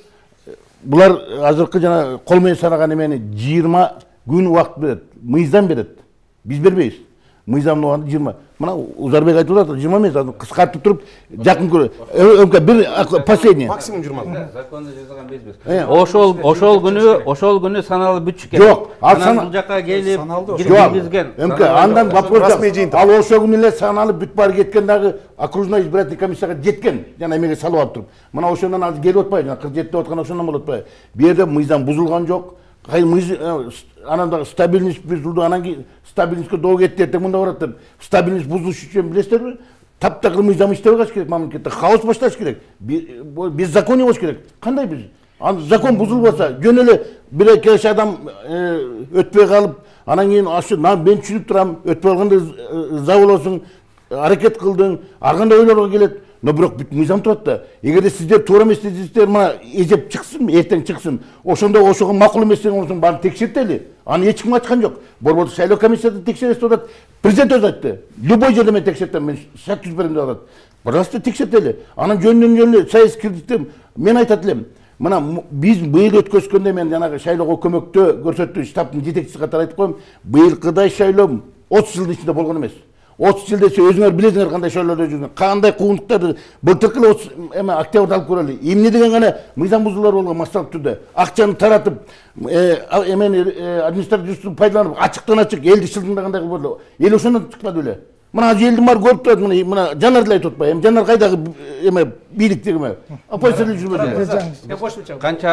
Булар азыркы жана кол менен санаган эмени 20 күн убакыт берет, мыйзам берет. Биз бербейбиз. Мыйзамды убагында 20. Мына Узарбек айтып атат, 20 эмес, азыр кыскартып туруп жакын көрө. Бир последний. Максимум 20. Законда жазылган бизбиз. Ошол күнү саналып бүтүш керек. Жок, анан бул жака келип киргизген. Андан вопрос жок. Ал ошол күнү эле саналып бүт баары кеткен дагы окружной избирательный комиссияга жеткен. Жана эмеге салып алып туруп. Мына ошондон азыр келип атпайбы? 47 деп аткан ошондон болуп атпайбы? Бу жерде мыйзам бузулган жок. анан дагы стабильность бир жылда анан кийин стабильностьке доо кетти, эртең мында барат деп стабильность бузулуш үчүн билесиздерби? Таптакыр мыйзам иштебей калыш керек мамлекетте, хаос башташ керек, беззаконие болуш керек. Кандай биз? Закон бузулбаса, жөн эле бир эки адам өтпөй калып, анан кийин ашы мен түшүнүп турам, өтпөй калганда за болосуң, аракет кылдың, ар кандай ойлорго келет. Но бирок бүт мыйзам турат да. Эгерде сиздер туура эмес десеңиздер, мына эжеп чыксын, эртең чыксын. Ошондо ошого макул эмес деген болсоң, баарын текшертели. Аны эч ким ачкан жок. Борбордук шайлоо комиссиясы текшерет деп атат. Президент өзү айтты. Любой жерде мен текшертем, мен шарт түзүп берем деп атат. Пожалуйста, текшертели. Анан жөнүнөн саясий кредиттем. Мен айтат элем. Мына биз быйыл өткөзгөндө мен жанагы шайлоого көмөктө көрсөттүү штабтын жетекчиси катары айтып коем. Быйылкыдай шайлоо 30 жылдын ичинде болгон эмес. 30 жыл десе өзүңөр билесиңер кандай шайлоодо жүргөн, кандай куугунтуктарды былтыркы 30 октябрда алып көрөлү. Эмне деген гана мыйзам бузуулар болгон массалык түрдө. Акчаны таратып, административдү пайдаланып, ачыктан ачык элди шылдыңдагандай кылып эле. Эл ошондон чыкпады эле. Мына элдин баары көрүп турат, мына Жанар деле айтып атпайбы? Эми Жанар кайдагы бийликтеги оппозиция эле жүрбөдү. Канча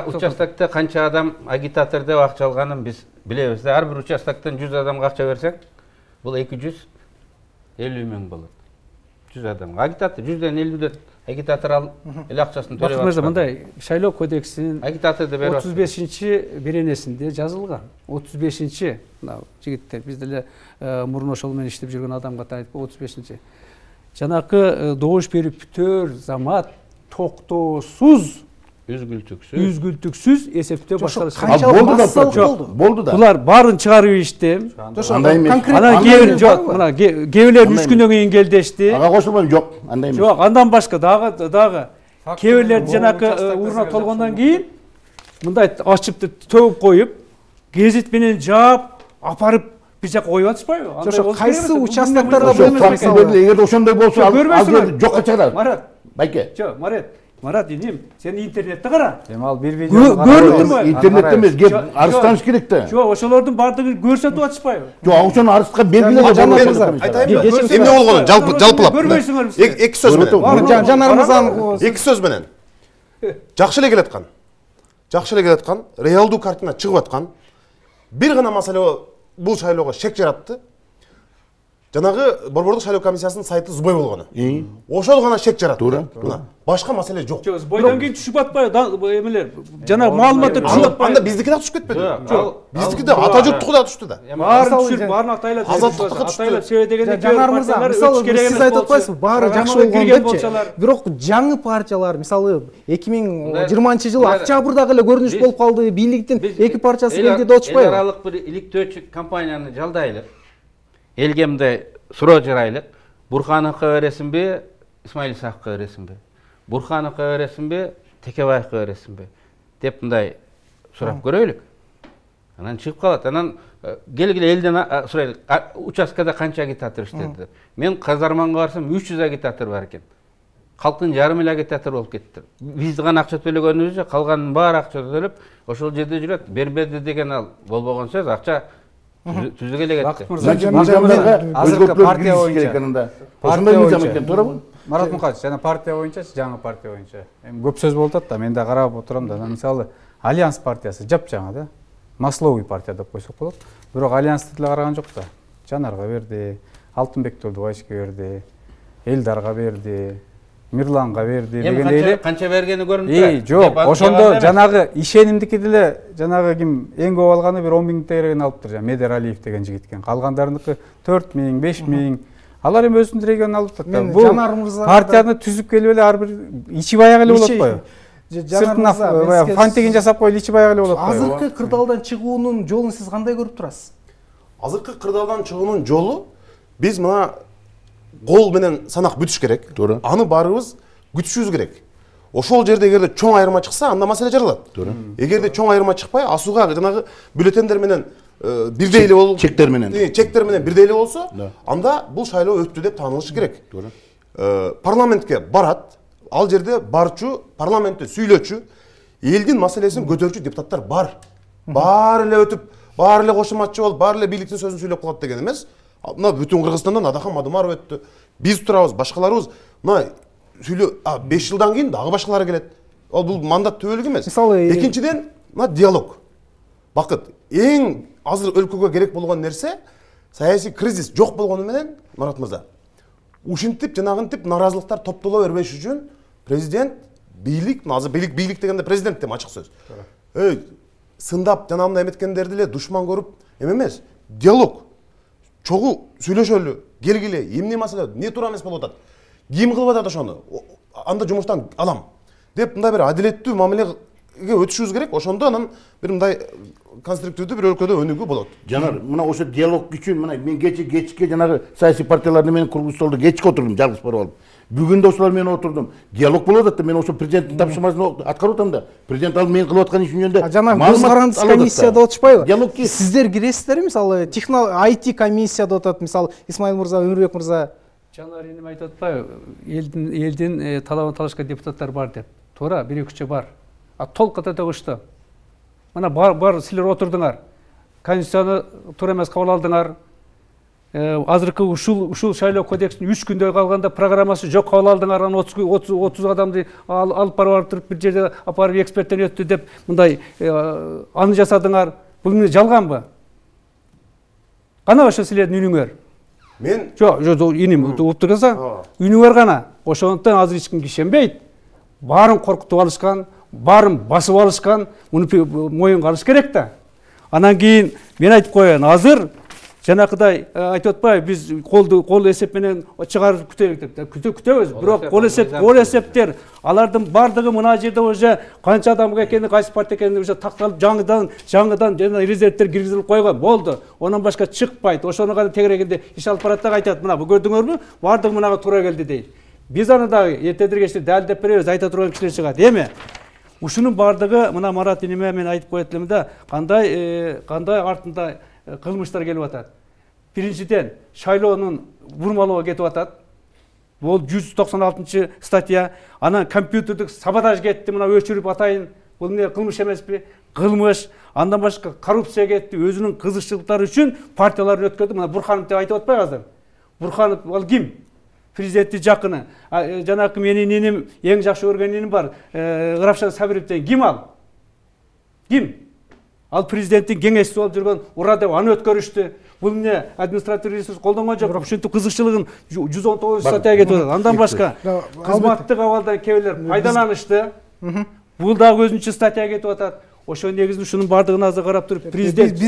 участокто канча адам агитатор деп акча алганын биз билебиз. Ар бир участоктон 100 адамга акча берсек, бул 250 миң болот. 100 адамга агитатор 150ден агитатор алып эл акчасын төлөп атат. Мындай шайлоо кодексинин агитаторду берип 35-беренесинде жазылган. 35-чи мына жигиттер биз деле мурун ошол менен иштеп жүргөн адамга айтып 35-чи. Жанакы добуш берип бүтөр замат токтоосуз үзгүлтүксүз эсептөө башталыш. Болду да. Булар баарын чыгарып ишти. Анан кээбилер 3 күндөн кийин келдешти. Ага кошулбайм, жок, андай эмес. Жок, андан башка дагы кээбилер жанакы урна толгондон кийин мындай ачып төгүп коюп, гезит менен жаап, апарып бир жака коюп атышпайбы? Ошо кайсы участоктарда эгерде ошондой болсо, ал жерди жокко чыгарат. Марат, байке. Жок, Марат, иним, сен интернетте кара. Эми ал бир видео көрдүңбү? Интернетте эмес, кеп арызданыш керек да. Жок, ошолордун баардыгын көрсөтүп атышпайбы? Жок, ошону арызга белгилеп айтайынбы? Эмне болгонун жалпылап. Көрбөйсүңөр. Эки сөз менен. Жанар мырзанын эки сөз менен. Жакшы эле келаткан, реалдуу картина чыгып аткан. Бир гана маселе бул шайлоого шек жаратты. Жанагы Борбордук шайлоо комиссиясынын сайты сбой болгону. Ошол гана шек жаратты. Башка маселе жок. Жок, сбойдон кийин түшүп атпайбы эмелер? Жанагы маалыматтар түшүп атпайбы? Анда биздики да түшүп кетпеди. Жок. Биздики да ата журттуку да түштү да. Баарын түшүрүп, баарын атайлап, атайлап себедегенде Жанар мырза, мисалы сиз айтып атпайсызбы, баары жакшы болгон депчи. Бирок жаңы партиялар, мисалы 2020-жылы октябрдагы эле көрүнүш болуп калды, бийликтин эки партиясы келди деп атышпайбы? Эл аралык бир иликтөөчү компанияны жалдайлык. Элге мындай суроо жарайлык. Бурхановго бересиңби, Исмаил Исаковго бересиңби? Бурхановго бересиңби, Текебаевго бересиңби? Деп мындай сурап көрөйлүк. Анан чыгып калат. Анан келгиле элден сурайлык. Участкада канча агитатор иштеди? Мен Казарманга барсам 300 агитатор бар экен. Калктын жарым эле агитатор болуп кетти. Биз гана акча төлөгөнүбүз, калганын баары акча төлөп, ошол жерде жүрөт. Бербеди деген ал болбогон сөз, акча түзүгө эле кетти. Азыркы партия боюнча. Ошондой мыйзам экен, туурабы? Марат Мукаевич, жана партия боюнча, жаңы партия боюнча. Эми көп сөз болуп атат да, мен да карап отурам да. Мисалы, Альянс партиясы жапжаңы да. Масловый партия деп койсок болот. Бирок Альянсты деле караган жок да. Жанарга берди, Алтынбек Турдубаевичке берди, Элдарга берди, Мирланга берди дегендей эле. Канча бергени көрүнүп турат. Жок, ошондо жанагы ишенимдики деле жанагы ким эң көп алганы бир 10 миң тегерегин алыптыр, жана Медер Алиев деген жигит экен. Калгандарыныкы 4 миң, 5 миң. Алар эми өзүнүн регионун алып атат. Бул партияны түзүп келип эле ар бир ичи баягы эле болот атпайбы? Сыртына фантигин жасап коюп ичи баягы эле болот атпайбы? Азыркы кырдаалдан чыгуунун жолун сиз кандай көрүп турасыз? Азыркы кырдаалдан чыгуунун жолу биз мына кол менен санак бүтүш керек. Аны баарыбыз күтүшүбүз керек. Ошол жерде эгерде чоң айырма чыкса, анда маселе жаралат. Эгерде чоң айырма чыкпай, асууга жанагы бюллетендер менен бирдей эле болуп, чектер менен бирдей эле болсо, анда бул шайлоо өттү деп таанылышы керек. Парламентке барат, ал жерде барчу, парламентте сүйлөчү, элдин маселесин көтөрчү депутаттар бар. Баары эле өтүп, баары эле кошуматчы болуп, баары эле бийликтин сөзүн сүйлөп калат деген эмес. Мына бүтүн Кыргызстандан Адахан Мадумаров өттү. Биз турабыз, башкаларыбыз мына сүйлөө 5 жылдан кийин дагы башкалары келет. Ал бул мандат төбөлүк эмес. Экинчиден, мына диалог, бакыт. Эң азыр өлкөгө керек болгон нерсе саясий кризис жок болгону менен, Марат мырза, ушинтип жанагынтип наразылыктар топтоло бербеш үчүн президент, бийлик, азыр бийлик дегенде президент дейм, ачык сөз. Сындап жана мындай эметкендерди эле душман көрүп эмес, диалог. Чогуу сүйлөшөлү, келгиле, эмне маселе, не туура эмес болуп атат. Ким кылып атат ошону? Анда жумуштан алам деп мындай бир адилеттүү мамилеге өтүшүбүз керек. Ошондо анан бир мындай конструктивдүү бир өлкөдө өнүгүү болот. Жанар, мына ошо диалог үчүн мына мен кечке жанагы саясий партияларды менен кургуз столдо кечке отурдум, жалгыз барып алып. Бүгүн да ошолар менен отурдум. Диалог болуп атат да, мен ошо президенттин тапшырмасын аткарып атам да. Президент ал мен кылып аткан ишин жөнүндө. Жана көз карандысыз комиссияда отушпайбы? Диалог ки. Сиздер киресиздерби? Мисалы, IT комиссияда отат, мисалы, Исмаил мырза, Өмүрбек мырза. Жанар энем айтып атпайбы? Элдин талабын талашкан депутаттар бар деп. Туура, бир-экичи бар. А толук ката төгүштү. Мына бар силер отурдуңар. Конституцияны туура эмес кабыл алдыңар. Азыркы ушул шайлоо кодексин 3 күндө калганда программасы жок кабыл алдыңар. Анан 30 адамды алып барып туруп бир жерде апарып эксперттен өттү деп мындай аны жасадыңар. Бул эмне жалганбы? Кана ошо силердин үнүңөр? Мен жок, иним угуп турса, үнүңөр гана. Ошондон азыр эч ким ишенбейт. Баарын коркутуп алышкан, баарын басып алышкан, муну моюнга алыш керек да. Анан кийин мен айтып коеюн, азыр жанакыдай айтып атпайбы, биз кол эсеп менен чыгарып күтөлүк деп. Күтөбүз, бирок кол эсептер алардын бардыгы мына жерде уже канча адам экени, кайсы партия экени уже такталып, жаңыдан жана резервдер киргизилип койгон. Болду. Онан башка чыкпайт. Ошону гана тегерегенде иш алып барат да айтат, мына бу көрдүңөрбү? Бардыгы мынага туура келди дейт. Биз аны дагы эртедир кечте далилдеп беребиз, айта турган кишилер чыгат. Эми ушунун бардыгы мына Марат иниме мен айтып коет элем да, кандай артында кылмыштар келип атат. Биринчиден, шайлоонун бурмалоого кетип атат. Бул 196 статья. Анан компьютердик саботаж кетти, мына өчүрүп атайын. Бул эмне кылмыш эмеспи? Кылмыш. Андан башка коррупция кетти. Өзүнүн кызыкчылыктары үчүн партияларды өткөрдү. Мына Бурханов деп айтып атпайбы азыр? Бурханов ал ким? Президенттин жакыны. Жанакы менин иним, эң жакшы көргөн иним бар. Равшан Сабировден ким ал? Ким? Ал президенттин кеңешчиси болуп жүргөн Ура деп аны өткөрүштү. Бул эмне административдик ресурс колдонгон жок. Ушинтип кызыкчылыгын 119 статьяга кетип атат. Андан башка кызматтык абалдан кээбилер пайдаланышты. Бул дагы өзүнчө статьяга кетип атат. Ошо негизинде ушунун бардыгын азыр карап туруп президент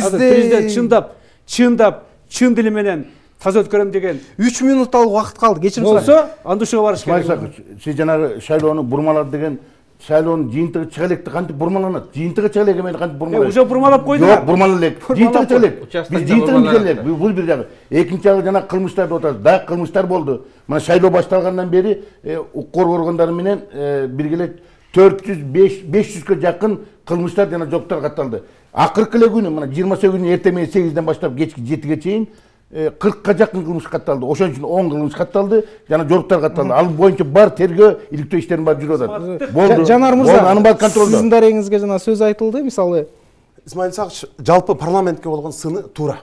чындап чын дили менен таза өткөрөм деген 3 минутталык убакыт калды. Кечирим болсо, анда ушуга барыш керек. Сиз жанагы шайлоону бурмалады деген шайлоонун жыйынтыгы чыга электи кантип бурмаланат? Жыйынтыгы чыга элек эмени кантип бурмалайт? Уже бурмалап койдуңар. Жок, бурмала элек. Жыйынтыгы чыга элек. Биз жыйынтыгын элек. Бул бир жагы. Экинчи жагы жана кылмыштарды отат. Дагы кылмыштар болду. Мына шайлоо башталгандан бери укук органдары менен биргеле 400-500га жакын кылмыштар жана жоктор катталды. Акыркы эле күнү мына 28 күнү эртең менен 8ден баштап кечки 7ге чейин 40га жакын кылмыш катталды. Ошон үчүн 10 кылмыш катталды, жана жоруктар катталды. Ал боюнча бар тергөө, иликтөө иштерин баары жүрүп атат. Болду. Жанар мырза, анын баары контролдо. Сиздин дарегиңизге жана сөз айтылды, мисалы. Исмаил Исакович жалпы парламентке болгон сыны туура.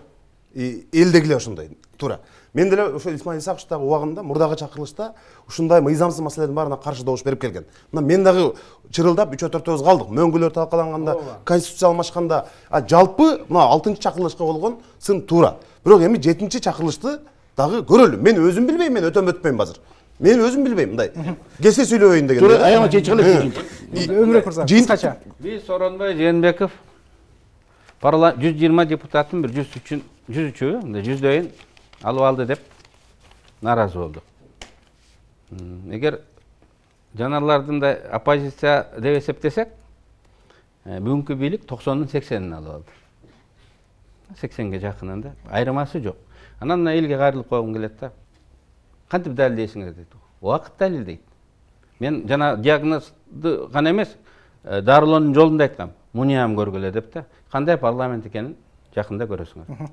Элдегиле ошондой туура. Мен деле ошо Исмаил Исаковичтагы убагында мурдагы чакырылышта ушундай мыйзамсыз маселелердин баарына каршы добуш берип келген. Мына мен дагы чырылдап 3-4 калдык. Мөңгүлөр талкаланганда, конституция алмашканда, жалпы мына 6-чакырылышка болгон сын туура. Бирок эми 7-чакырылышты дагы көрөлү. Мен өзүм билбейм, мен өтөм өтпөйм азыр. Мен өзүм билбейм мындай. Келсе сүйлөбөйүн деген. Туура, аяма чечип элек. Өмүрбек мырза, кыскача. Биз Сооронбай Жээнбеков 120 депутаттын бир 103-ü, 100дөйүн алып алды деп наразы болду. Эгер жанарлардын да оппозиция деп эсептесек, бүгүнкү бийлик 90-ын 80-ин алып алды. 80ге жакынында айырмасы жок. Анан мына элге кайрылып койгум келет да. Кантип далилдейсиңер дейт. Убакыт далилдейт. Мен жана диагнозду гана эмес, дарылоонун жолун да айткам. Муниям көргүлө деп да. Кандай парламент экенин жакында көрөсүңөр.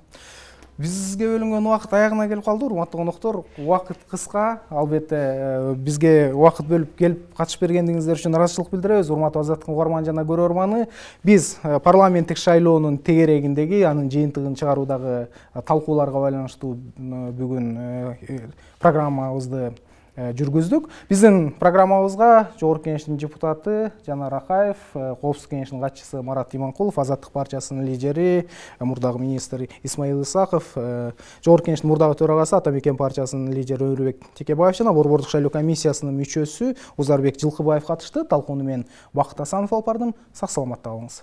Бизге бөлүнгөн убакыт аягына келип калды, урматтуу коноктор. Убакыт кыска, албетте бизге убакыт бөлүп келип катышып бергендиңиздер үчүн ыраазычылык билдиребиз. Урматтуу Азаттыктын угарман жана көрөрманы, биз парламенттик шайлоонун тегерегиндеги анын жыйынтыгын чыгаруудагы талкууларга байланыштуу бүгүн программабызды жүргүздүк. Биздин программабызга Жогорку Кеңештин депутаты Жанар Акаев, Коопсуздук Кеңешинин катчысы Марат Иманкулов, Азаттык партиясынын лидери, мурдагы министр Исмаил Исаков, Жогорку Кеңештин мурдагы төрагасы Ата-Мекен партиясынын лидери Өмүрбек Текебаев жана Борбордук шайлоо комиссиясынын мүчөсү Узарбек Жылкыбаев катышты. Талкууну мен Бакыт Асанов алып бардым. Сак саламатта калыңыз.